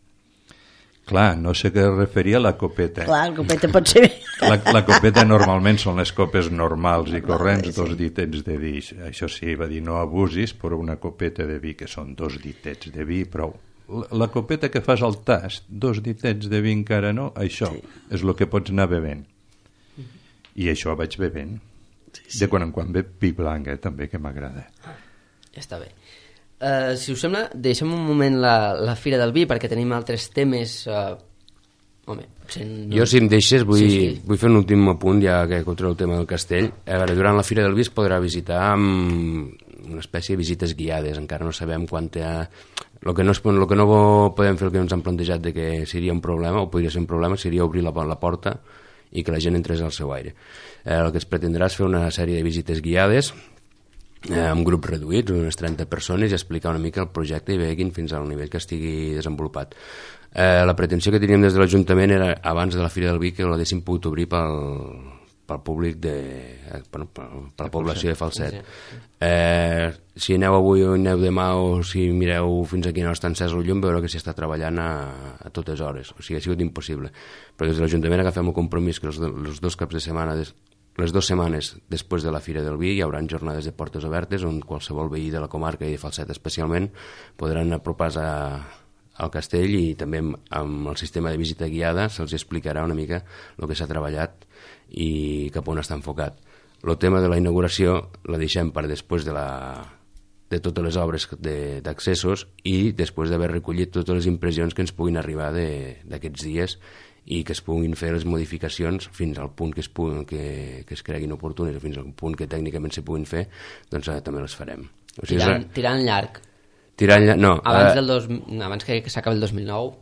Clar, no sé què referia a la copeta. Clar, la copeta pot ser... La, la copeta normalment són les copes normals i corrents, dos ditets de vi. Això sí, va dir, no abusis, però una copeta de vi, que són dos ditets de vi, prou. La, la copeta que fas al tast, dos ditets de vi encara no, això sí. És el que pots anar bevent. I això vaig bevent. Sí, sí. De quan en quan ve vi blanc, eh, també, que m'agrada. Ah, ja està bé. Uh, si us sembla, deixem un moment la, la Fira del Vi, perquè tenim altres temes... Uh, home, no... Jo, si em deixes, vull, sí, sí. vull fer un últim apunt, ja que contra el tema del castell. A veure, durant la Fira del Vi es podrà visitar amb una espècie de visites guiades. Encara no sabem quant hi ha... El que no, es, el que no podem fer, el que ens han plantejat de que seria un problema, o podria ser un problema, seria obrir la, la porta i que la gent entrés al seu aire. Eh, el que es pretendrà és fer una sèrie de visites guiades eh, amb grups reduïts, unes trenta persones, i explicar una mica el projecte i veguin fins al nivell que estigui desenvolupat. Eh, la pretensió que teníem des de l'Ajuntament era, abans de la Fira del Vi, que l'haguéssim pogut obrir pel, pel públic de... Eh, bueno, per, per la població de Falset. Eh, si aneu avui o aneu demà o si mireu fins a quina hora està encès el llum, veureu que s'hi està treballant a, a totes hores. O sigui, ha sigut impossible. Però des de l'Ajuntament agafem el compromís que els, els dos caps de setmana, des, les dues setmanes després de la Fira del Vi, hi haurà jornades de portes obertes on qualsevol veí de la comarca i de Falset especialment podran apropar-se al castell, i també amb, amb el sistema de visita guiada se'ls explicarà una mica el que s'ha treballat i cap on està enfocat. el tema de la inauguració la deixem per després de, la, de totes les obres d'accessos i després d'haver recollit totes les impressions que ens puguin arribar d'aquests dies i que es puguin fer les modificacions fins al punt que es, puguin, que, que es creguin oportunes o fins al punt que tècnicament se puguin fer, doncs eh, també les farem. O sigui, tirant, tirant llarg. Tirant llarg, no. Abans, eh, del dos, abans que, que s'acabi el dos mil nou,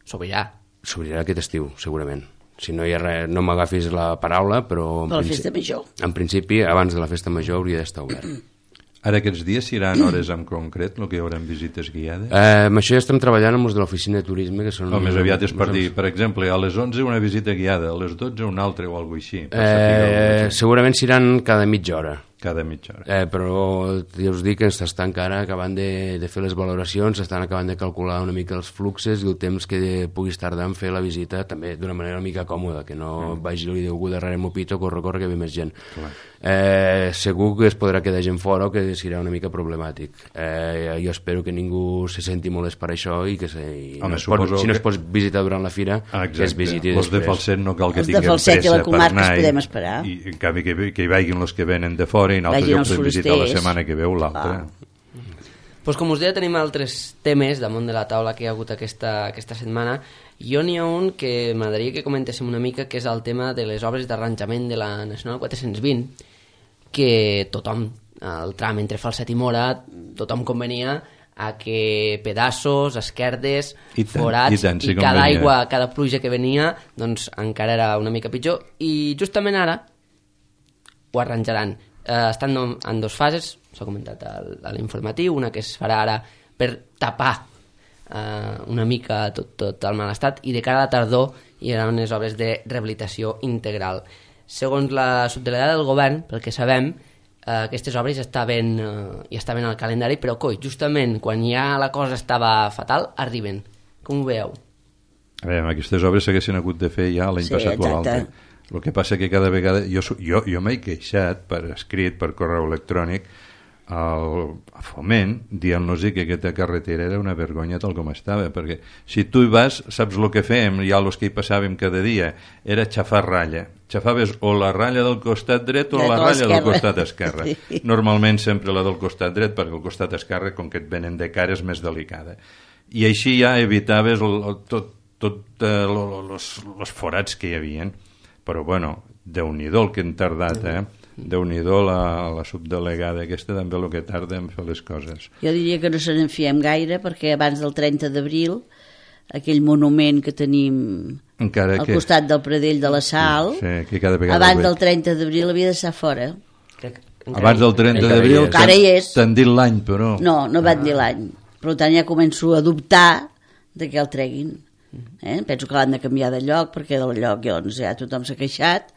s'obrirà. S'obrirà aquest estiu, segurament. Si no hi ha res, no m'agafis la paraula, però... Per la festa major. En principi, abans de la festa major hauria d'estar obert. Ara aquests dies seran hores en concret, el que hi haurà visites guiades? Eh, amb això ja estem treballant amb els de l'oficina de turisme, que són... O més aviat és per dir, per exemple, a les onze una visita guiada, a les dotze una altra o alguna cosa així. Eh, segurament seran cada mitja hora. Cada mitja hora. Eh, però ja us dic que s'estan encara acabant de, de fer les valoracions, s'estan acabant de calcular una mica els fluxes i el temps que puguis tardar en fer la visita, també d'una manera una mica còmoda, que no mm. vagi algú darrere m'ho pito, corre, corre, que ve més gent. Eh, segur que es podrà quedar gent fora o que serà una mica problemàtic. Eh, jo espero que ningú se senti molest per això i que se, i Home, no es pot, si no es pot visitar durant la fira, Exacte. que es visiti després. Els de Falset no cal que tinguem pressa per anar. Els de Falset i la comarca es podem esperar. I en canvi que, que hi vagin els que venen de fora i nosaltres ja podem visitar la setmana que ve o l'altra. Ah. Pues com us deia, tenim altres temes damunt de la taula que hi ha hagut aquesta, aquesta setmana. Jo n'hi ha un que m'agradaria que comentéssim una mica, que és el tema de les obres d'arranjament de la Nacional quatre-cents vint, que tothom, el tram entre Falset i Móra, tothom convenia a que pedaços, esquerdes, I tant, forats, i, tant, sí, i cada convenia. aigua, cada pluja que venia, doncs encara era una mica pitjor. I justament ara ho arranjaran. Eh, estan en dues fases, s'ha comentat a l'informatiu, una que es farà ara per tapar eh, una mica tot, tot el mal estat, i de cara a la tardor hi haurà unes obres de rehabilitació integral. Segons la subdelegada del govern, pel que sabem, eh, aquestes obres ja estaven, eh, ja estaven al calendari, però coi, justament quan ja la cosa estava fatal, arriben. Com ho veieu? A veure, aquestes obres s'haguessin hagut de fer ja l'any Sí, passat o exacte. l'altre. El que passa que cada vegada... Jo, jo, jo m'he queixat per escrit, per correu electrònic, al a Foment, dient-los que aquesta carretera era una vergonya tal com estava, perquè si tu hi vas, saps el que fèiem, ja els que hi passàvem cada dia, era xafar ratlla. Xafaves o la ratlla del costat dret o la ratlla del costat esquerre. Sí. Normalment sempre la del costat dret, perquè el costat esquerre, com que et venen de cara, és més delicada. I així ja evitaves el, el, tot, tot eh, els forats que hi havien. Però bueno, Déu-n'hi-do el que hem tardat, eh? Déu-n'hi-do la, la subdelegada aquesta també el que tarda en fer les coses. Jo diria que no se n'enfiem gaire, perquè abans del trenta d'abril aquell monument que tenim Encara al que... costat del Pradell de la Sal, sí, que cada vegada abans del trenta d'abril havia d'estar fora. Abans del trenta d'abril t'han dit l'any, però... No, no van dir l'any. Per tant ja començo a dubtar de que el treguin. Eh? Penso que l'han de canviar de lloc, perquè del lloc doncs, ja tothom s'ha queixat,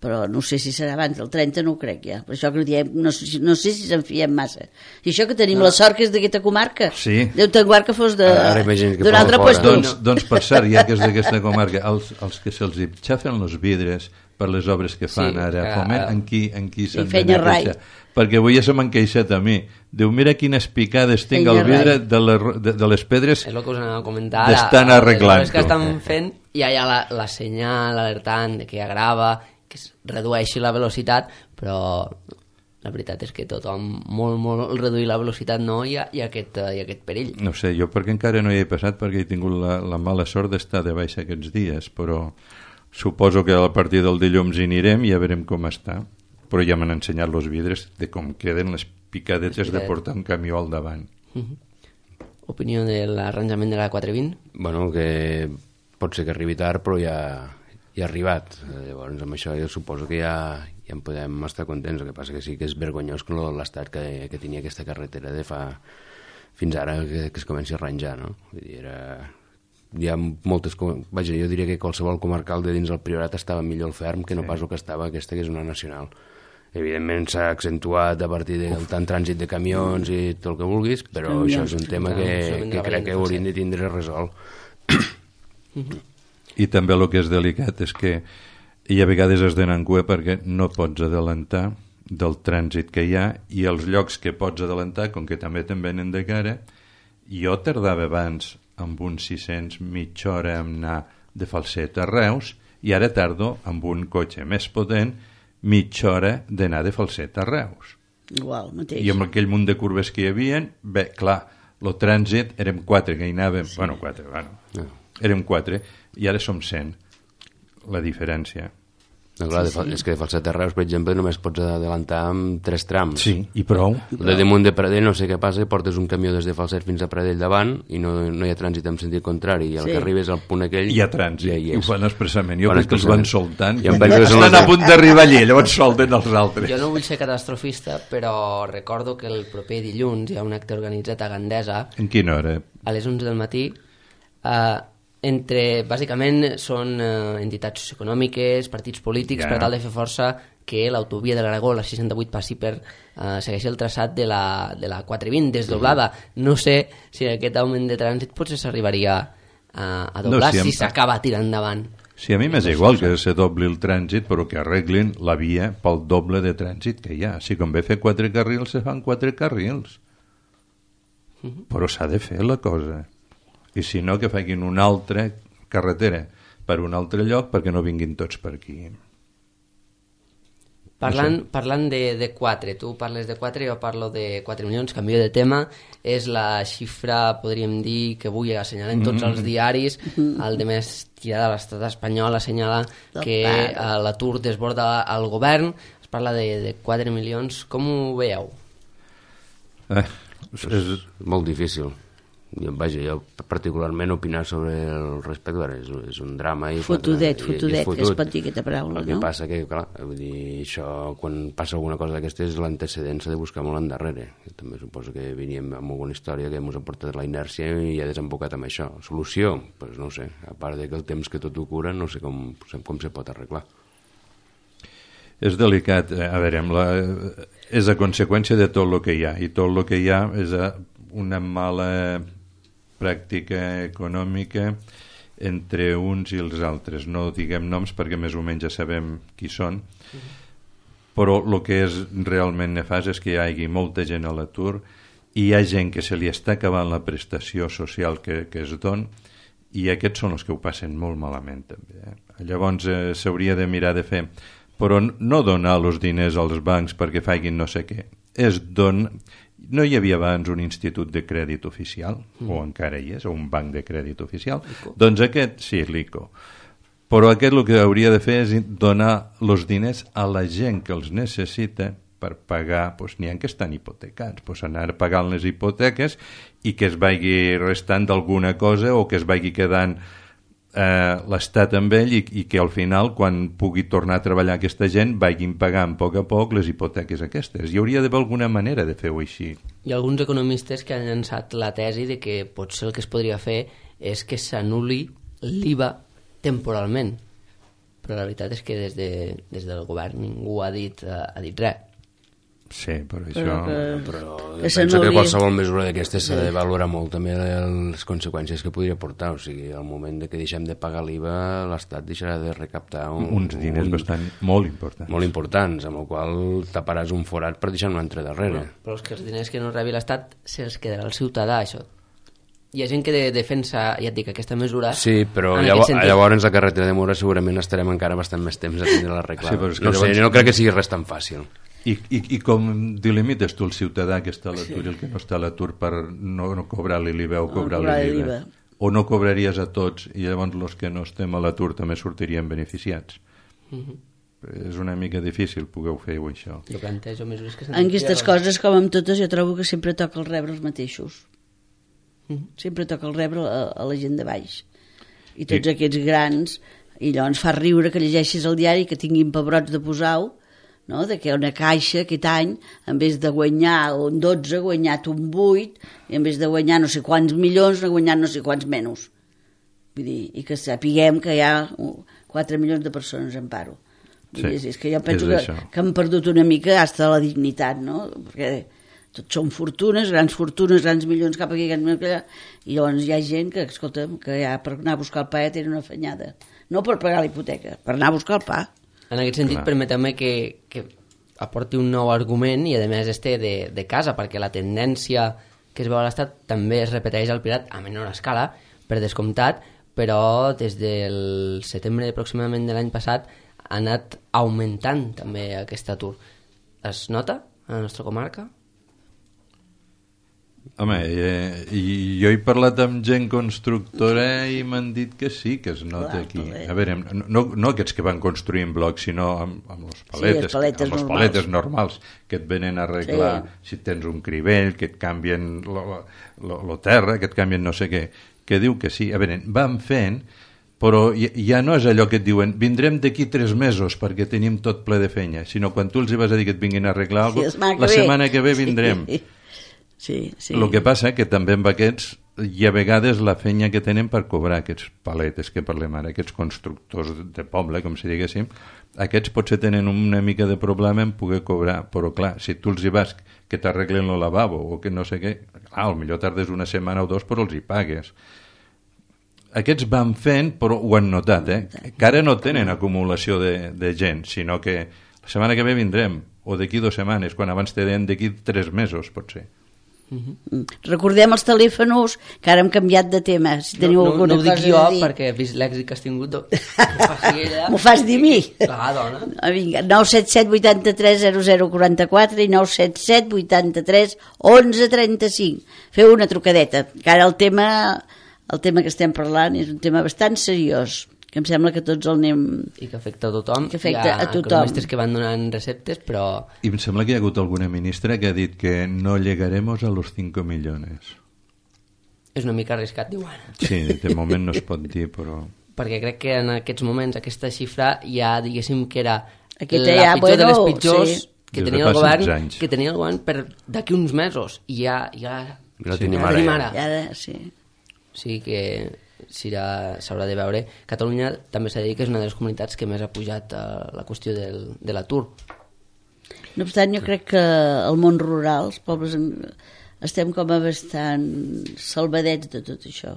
però no sé si serà abans del trenta, no ho crec ja. Per això que diem, no, no sé si se'n fiem massa. I això que tenim no. la sort que és d'aquesta comarca. Sí. Déu te'n guard que fos d'un altre lloc. Doncs, doncs per cert, ja que és d'aquesta comarca, els, els que se'ls xafen els vidres per les obres que fan sí, ara, Foment, en qui, en qui s'han d'anar a queixar? Perquè avui ja se m'han queixat a mi. Diu, mira quines picades tinc al vidre de, la, de, de les pedres. És el que us anava a comentar. D'estan arreglant-ho. Les que estan fent, i hi ha la, la senyal alertant de que ja grava, que es redueixi la velocitat, però la veritat és que tothom molt, molt reduir la velocitat no, hi ha, hi ha, aquest, hi ha aquest perill. No sé, jo perquè encara no hi he passat, perquè he tingut la, la mala sort d'estar de baixa aquests dies, però suposo que a partir del dilluns hi anirem i ja veurem com està. Però ja m'han ensenyat els vidres de com queden les picadetes de portar un camió al davant. Uh-huh. Opinió de l'arranjament de la quatre vint? Bueno, que pot ser que arribi tard, però ja, ja ha arribat. Llavors, amb això jo suposo que ja, ja en podem estar contents. El que passa que sí que és vergonyós que l'estat que, que tenia aquesta carretera de fa fins ara que, que es comenci a arranjar, no? Vull dir, era... Hi ha moltes... Vaja, jo diria que qualsevol comarcal de dins del Priorat estava millor al ferm que no sí. pas el que estava aquesta, que és una nacional. Evidentment s'ha accentuat a partir del tant trànsit de camions i tot el que vulguis, però sí, això és un tema que, que crec que hauríem de tindre resolt. I també el que és delicat és que hi ha vegades has d'anar en cua perquè no pots adelantar del trànsit que hi ha, i els llocs que pots adelantar, com que també te'n venen de cara, jo tardava abans amb uns sis-cents mitja hora en anar de Falset a Reus, i ara tardo amb un cotxe més potent mitja hora d'anar de Falset a Reus. Igual, mateix. I amb aquell munt de curves que hi havia, bé, clar, el trànsit érem quatre que hi anàvem, sí. bueno, quatre, bueno, no. érem quatre, i ara som cent, la diferència. No, clar, sí, sí. És que de Falset a Reus, per exemple, només pots adelantar amb tres trams. Sí, i prou. De damunt de Pradell no sé què passa, portes un camió des de Falset fins a Pradell davant i no, no hi ha trànsit en sentit contrari, i al sí. que arribes al punt aquell... Hi ha trànsit, ja hi i ho fan expressament. Jo crec que els van soltant. I em penso que estan a punt d'arribar allí, llavors solten els altres. Jo no vull ser catastrofista, però recordo que el proper dilluns hi ha un acte organitzat a Gandesa. En quina hora? A les onze del matí. Eh... entre, bàsicament, són eh, entitats socioeconòmiques, partits polítics, yeah. per tal de fer força que l'autovia de l'Aragó, la seixanta-vuit, passi per eh, segueixi el traçat de la, de la quatre vint desdoblada. Mm-hmm. No sé si aquest augment de trànsit potser s'arribaria a, a doblar, no, si s'acaba si tirant endavant. Sí, a mi m'és igual que se dobli el trànsit, però que arreglin la via pel doble de trànsit que hi ha. Si convé fer quatre carrils, se fan quatre carrils. Mm-hmm. Però s'ha de fer la cosa. I si no, que facin una altra carretera per un altre lloc perquè no vinguin tots per aquí. Parlant, parlant de, de quatre, tu parles de quatre, jo parlo de quatre milions, canvio de tema, és la xifra, podríem dir, que avui assenyalen tots mm-hmm. els diaris, el de més tirada de l'estat espanyol assenyala que uh, l'atur desborda el govern, es parla de, de quatre milions, com ho veieu? Eh, és, és molt difícil. Jo, vaja, jo particularment opinar sobre el respecte és, és un drama i fotudet, i, fotudet, i és fotut. Es pot dir aquesta paraula, el no? que passa que, clar, vull dir, això, quan passa alguna cosa d'aquestes, l'antecedent s'ha de buscar molt endarrere. Jo també suposo que veníem amb alguna història que ens ha portat la inèrcia i ha desembocat amb això. Solució? Doncs pues no ho sé, a part de que el temps que tot ho cura, no sé com, com se pot arreglar. És delicat, a veure, la, és a conseqüència de tot el que hi ha, i tot el que hi ha és una mala pràctica econòmica entre uns i els altres. No diguem noms perquè més o menys ja sabem qui són, però el que és realment nefast és que hi hagi molta gent a l'atur i hi ha gent que se li està acabant la prestació social que, que es don, i aquests són els que ho passen molt malament també. Eh? Llavors eh, s'hauria de mirar de fer, però no donar els diners als bancs perquè facin no sé què, és don... No hi havia abans un institut de crèdit oficial, mm. o encara hi és, o un banc de crèdit oficial, Lico. Doncs aquest, sí, l'Ico. Però aquest el que hauria de fer és donar els diners a la gent que els necessita per pagar, doncs n'hi ha que estan hipotecats, doncs anar pagant les hipoteques i que es vagi restant d'alguna cosa o que es vagi quedant eh, l'Estat amb ell i, i que al final, quan pugui tornar a treballar aquesta gent, vagin pagant a poc a poc les hipoteques aquestes. Hi hauria d'haver alguna manera de fer-ho així. Hi ha alguns economistes que han llançat la tesi de que potser el que es podria fer és que s'anul·li l'I V A temporalment. Però la veritat és que des, de, des del govern ningú ha dit, ha dit res. Sí, però això... Però, que... però penso que qualsevol mesura d'aquestes s'ha de valorar molt també les conseqüències que podria portar. O sigui, al moment de que deixem de pagar l'I V A, l'Estat deixarà de recaptar un, uns diners un, bastant molt importants. Molt importants, amb el qual taparàs un forat per deixar un altre darrere. Però, però és que els diners que no rebi l'Estat se'ls quedarà el ciutadà, això. Hi ha gent que de defensa, ja et dic, aquesta mesura... Sí, però llavors, sentit... llavors la carretera de Mora segurament estarem encara bastant més temps a tindre l'arreglar. Sí, no, llavors... sé, no crec que sigui res tan fàcil. I, i, I com delimites tu el ciutadà que està a l'atur sí. i el que no està a l'atur per no, no cobrar-li l'I V A o cobrar-li no, l'I V A? O no cobraries a tots i llavors els que no estem a l'atur també sortirien beneficiats? Mm-hmm. És una mica difícil poder fer-ho, això. Jo plantejo mesures que... En aquestes coses, com amb totes, jo trobo que sempre toca el rebre els mateixos. Mm-hmm. Sempre toca el rebre a, a la gent de baix. I tots I... aquests grans, i llavors fa riure que llegeixis el diari que tinguin pebrots de posar-ho, no? De que una caixa aquest any, en vez de guanyar un dotze, ha guanyat un vuit, i en vez de guanyar no sé quants milions, ha guanyat no sé quants menys. Vull dir, i que sapiguem que hi ha quatre milions de persones en paro. Sí, dir, és que jo penso que, que han perdut una mica hasta la dignitat, no? Perquè tots són fortunes, grans fortunes, grans milions cap aquí, grans milions allà, i llavors hi ha gent que, escolta, que ja per anar a buscar el pa ja tenen una afanyada. No per pagar la hipoteca, per anar a buscar el pa. En aquest sentit, permeteu-me que, que aporti un nou argument i, a més, este de, de casa, perquè la tendència que es veu a l'Estat també es repeteix al Pirat a menor escala, per descomptat, però des del setembre aproximadament de l'any passat ha anat augmentant també aquest atur. Es nota a la nostra comarca? Home, eh, i jo he parlat amb gent constructora i m'han dit que sí, que es nota Clar, aquí. paleta. A veure, no, no, no aquests que van construir en blocs, sinó amb, amb les paletes, les paletes amb les normals. paletes normals que et venen a arreglar Sí. si tens un crivell, que et canvien lo, lo, lo terra, que et canvien no sé què, que diu que sí. A veure, van fent, però ja, ja no és allò que et diuen vindrem d'aquí tres mesos perquè tenim tot ple de feina, sinó quan tu els hi vas a dir que et vinguin a arreglar alguna Sí, cosa, la setmana que ve vindrem. Sí, sí. sí. El que passa que també amb aquests hi ha vegades la feina que tenen per cobrar aquests paletes que parlem ara, aquests constructors de poble, com si diguéssim, aquests potser tenen una mica de problema en poder cobrar, però clar, si tu els hi vas que t'arreglen el lavabo o que no sé què, clar, potser tardes una setmana o dos però els hi pagues. Aquests van fent, però ho han notat, eh? Que ara no tenen acumulació de, de gent, sinó que la setmana que ve vindrem, o d'aquí dues setmanes, quan abans te deien d'aquí tres mesos, potser. Recordem els telèfons, que ara hem canviat de tema, si teniu no, no, alguna no ho dic cosa jo a dir. perquè he vist l'èxit que has tingut. Do... M'ho faci ella. M'ho fas dir a mi? Clar, dona. Ah, vinga, nou set set vuitanta-tres zero zero quaranta-quatre i nou set set vuitanta-tres onze trenta-cinc. Feu una trucadeta, que ara el tema, el tema que estem parlant és un tema bastant seriós, que em sembla que tots el anem... I que afecta a tothom. Que afecta Hi ha a tothom. economistes que van donant receptes, però... I em sembla que hi ha hagut alguna ministra que ha dit que no llegaremos a los cinco millones. És una mica arriscat, diuen. Sí, de moment no es pot dir, però... Perquè crec que en aquests moments aquesta xifra ja, diguéssim, que era Aquesta la ja, pitjor de les bueno, pitjors sí. que, Des de tenia fa el govern, setze anys. que tenia el govern per d'aquí uns mesos. I ja... ja Ja la Sí. tenim ja la ara. tenim ja. ara. I ara, sí. Sí que s'haurà s'haurà de veure. Catalunya també s'ha de dir que és una de les comunitats que més ha pujat a la qüestió del, de l'atur. No obstant, jo crec que al món rural, els pobles, en- estem com a bastant salvadets de tot això.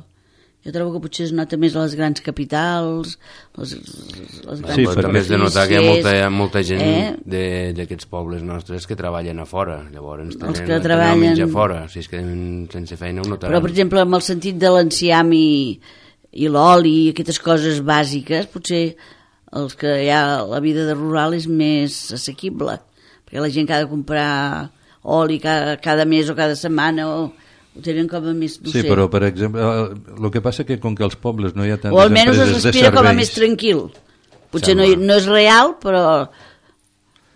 Jo trobo que potser es nota més a les grans capitals, les, les grans Sí, Però perquè- també has de notar que hi ha molta, hi ha molta gent Eh? de- d'aquests pobles nostres que treballen a fora, llavors tenen, que tenen treballen- el menjar fora, si es queden sense feina ho notaran. Però, per exemple, amb el sentit de l'enciam i, i l'oli i aquestes coses bàsiques, potser els que hi ha la vida de rural és més assequible, perquè la gent que ha de comprar oli cada, cada mes o cada setmana o, ho tenen com a més... No Sí, sé. però, per exemple, el que passa que com que als pobles no hi ha tantes o almenys es empreses de respira serveis... com a més tranquil. Potser no, Sembla. no és real, però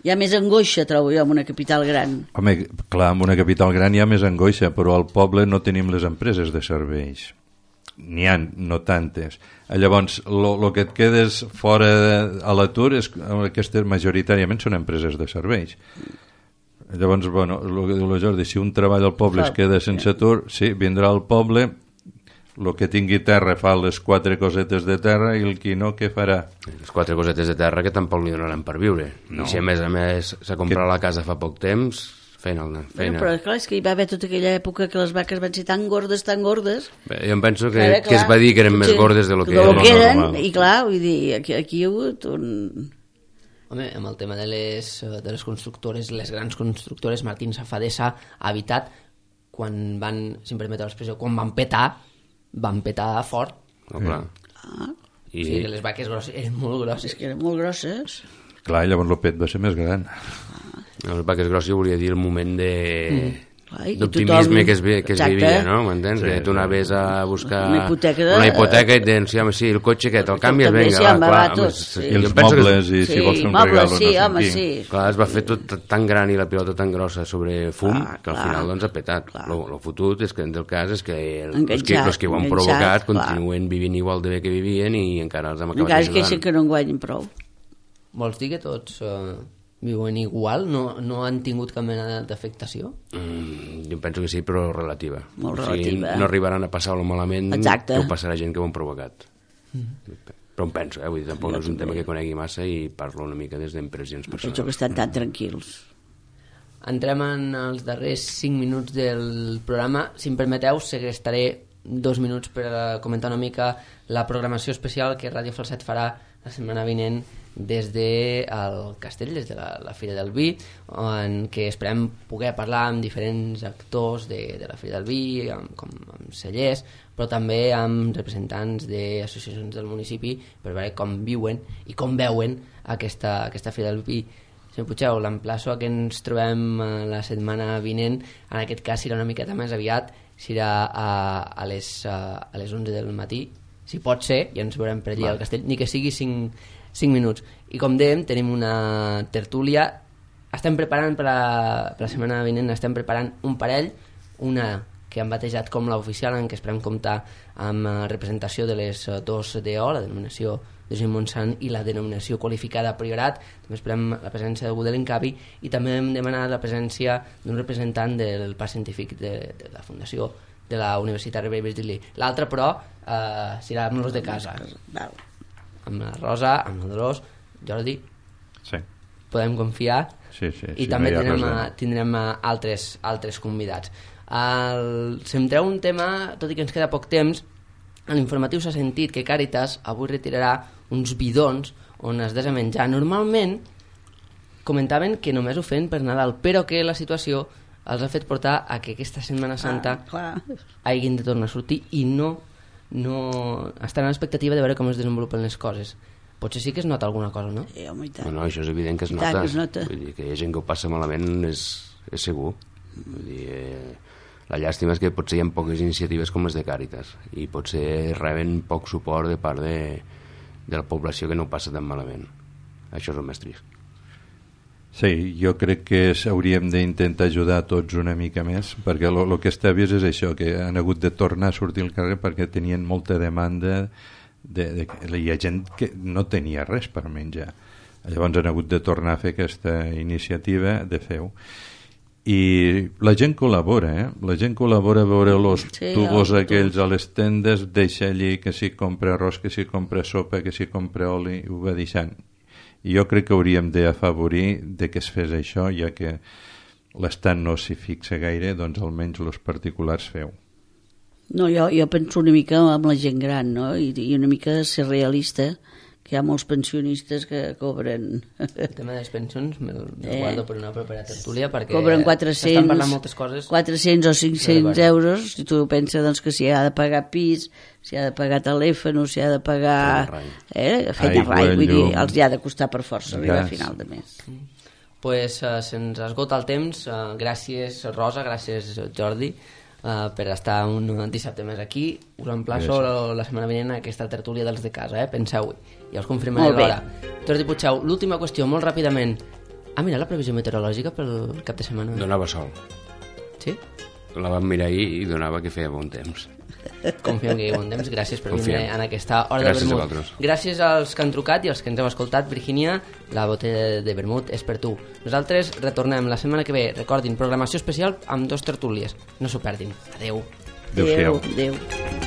hi ha més angoixa, trobo jo, en una capital gran. Home, clar, en una capital gran hi ha més angoixa, però al poble no tenim les empreses de serveis. N'hi ha, no tantes. Llavors, el que et quedes fora de, a l'atur és aquestes majoritàriament són empreses de serveis. Llavors, bueno, el que diu la Jordi, si un treballa al poble es queda sense atur, sí, vindrà al poble, el que tingui terra fa les quatre cosetes de terra i el qui no, què farà? Les quatre cosetes de terra que tampoc li donaran per viure. No. I si a més a més s'ha comprat Que- la casa fa poc temps, feina. feina. Bueno, però clar, és que hi va haver tota aquella època que les vaques van ser tan gordes, tan gordes, Bé, jo em penso que, Ara, que es va dir que eren més potser gordes de lo que, de lo que eren, normal. i clar, vull dir, aquí, aquí hi ha hagut un... Home, amb el tema de les, eh, de les constructores, les grans constructores, Martín Safadesa, Habitat, quan van, si em permeteu l'expressió, quan van petar, van petar fort. No, clar. Ah, I, O sigui que les vaques grosses eren molt grosses. és que eren molt grosses. Clar, llavors el pet va ser més gran. les vaques grosses volia dir el moment de... Mm. Clar, i d'optimisme tothom- que es, vi- que es Exacte. vivia, no? M'entens? Sí, que tu anaves a buscar Una hipoteca de- una hipoteca i tens, sí, home, sí, el cotxe aquest, el canvies, També, vinga, sí, va, home, clar, va, home, tot, sí, sí. I jo els penso que- mobles, i si vols fer un mobles, regalo, sí, no sé home, qui. sí. Clar, es va fer tot tan gran i la pilota tan grossa sobre fum Clar, que al clar, final doncs ha petat. clar. Lo, lo fotut és que en el cas és que els que, Enganxat, els que ho han enganxat, provocat clar. continuen vivint igual de bé que vivien i encara els hem acabat Encara es ajudant. queixen que no en guanyin prou. Vols dir que tots eh, viuen igual? No, no han tingut cap mena d'afectació? Mm, jo penso que sí, però relativa. Molt O sigui, relativa. no arribaran a passar-lo malament Exacte. que ho passarà gent que ho han provocat. Però em penso, eh? Vull dir, tampoc no és un tema que conegui massa i parlo una mica des d'impressions Penso que personals. estan tan tranquils. Entrem en els darrers cinc minuts del programa. Si em permeteu, segrestaré dos minuts per a comentar una mica la programació especial que Ràdio Falset farà la setmana vinent des del castell, des de la, la Fira del Vi, en què esperem poder parlar amb diferents actors de, de la Fira del Vi, amb, com amb cellers, però també amb representants d'associacions del municipi per veure com viuen i com veuen aquesta, aquesta Fira del Vi. Senyor Puigdeu, l'emplaço a que ens trobem la setmana vinent, en aquest cas serà una miqueta més aviat, serà a, a, les, a, a les onze del matí, si pot ser, i ens veurem per allà al castell, ni que sigui cinc, cinc minuts. I com dèiem, tenim una tertúlia, estem preparant per la, per la setmana vinent, estem preparant un parell, una que han batejat com l'oficial, en què esperem comptar amb representació de les dos D O, la denominació de Josep Montsant i la denominació qualificada Priorat. També esperem la presència d'algú de l'Incavi i també hem demanat la presència d'un representant del parc científic de, de la Fundació de la Universitat Rovira i Virgili. L'altre, però, eh, serà amb los de casa. Amb la Rosa, amb la Dolors, Jordi. Sí. Podem confiar. Sí, sí, I sí, també no tindrem, a, tindrem a altres, altres convidats. El, centreu un tema, tot i que ens queda poc temps, a l'informatiu s'ha sentit que Càritas avui retirarà uns bidons on es deixa menjar. Normalment comentaven que només ho feien per Nadal, però que la situació els ha fet portar a que aquesta Setmana Santa ah, hagin de tornar a sortir i no, no estan en l'expectativa de veure com es desenvolupen les coses. Potser sí que es nota alguna cosa, no? Sí, home, i tant. No, no, això és evident que es I nota. tant que es nota. Vull dir, que hi ha gent que ho passa malament és, és segur. Vull dir, eh, la llàstima és que potser hi ha poques iniciatives com les de Càritas i potser reben poc suport de part de, de la població que no ho passa tan malament. Això és el més trist. Sí, jo crec que hauríem d'intentar ajudar tots una mica més, perquè el que està vist és això, que han hagut de tornar a sortir al carrer perquè tenien molta demanda de, de, hi ha gent que no tenia res per menjar. Llavors han hagut de tornar a fer aquesta iniciativa de fer-ho. I la gent col·labora, eh? La gent col·labora a veure els sí, tubos no, aquells a les tendes, deixa allí que si compra arròs, que si compra sopa, que si compra oli, ho va deixant. I jo crec que hauríem d'afavorir de que es fes això, ja que l'Estat no s'hi fixa gaire, doncs almenys els particulars feu. No, jo, jo penso una mica amb la gent gran, no? I, i una mica ser realista, que hi ha molts pensionistes que cobren... El tema de les pensions me'l me eh. guardo per una propera tertúlia perquè cobren quatre-cents, s'estan parlant moltes coses. quatre-cents o cinc-cents euros, i tu penses doncs, que si ha de pagar pis, si ha de pagar telèfon, si ha de pagar... Eh, feina rai, vull dir, els hi ha de costar per força arribar a final de mes. Pues uh, se'ns esgota el temps. Uh, gràcies Rosa, gràcies Jordi, Uh, per estar un dissabte més aquí. Us emplaço la, la setmana vinent a aquesta tertúlia dels de casa, eh? Penseu-hi, ja us confirmaré l'hora. Jordi Puigdeu, l'última qüestió, molt ràpidament. Ha mirat la previsió meteorològica pel cap de setmana? Donava sol. Sí? La vam mirar ahir i donava que feia bon temps. Confiem que hi ha bon temps. Gràcies per Confiem. vindre en aquesta hora Gràcies de a vermut. vosaltres. Gràcies als que han trucat i als que ens heu escoltat. Virgínia, la botella de vermut és per tu. Nosaltres retornem la setmana que ve. Recordin, programació especial amb dos tertúlies. No s'ho perdin. Adeu. Adéu-siau. Adéu. Adéu.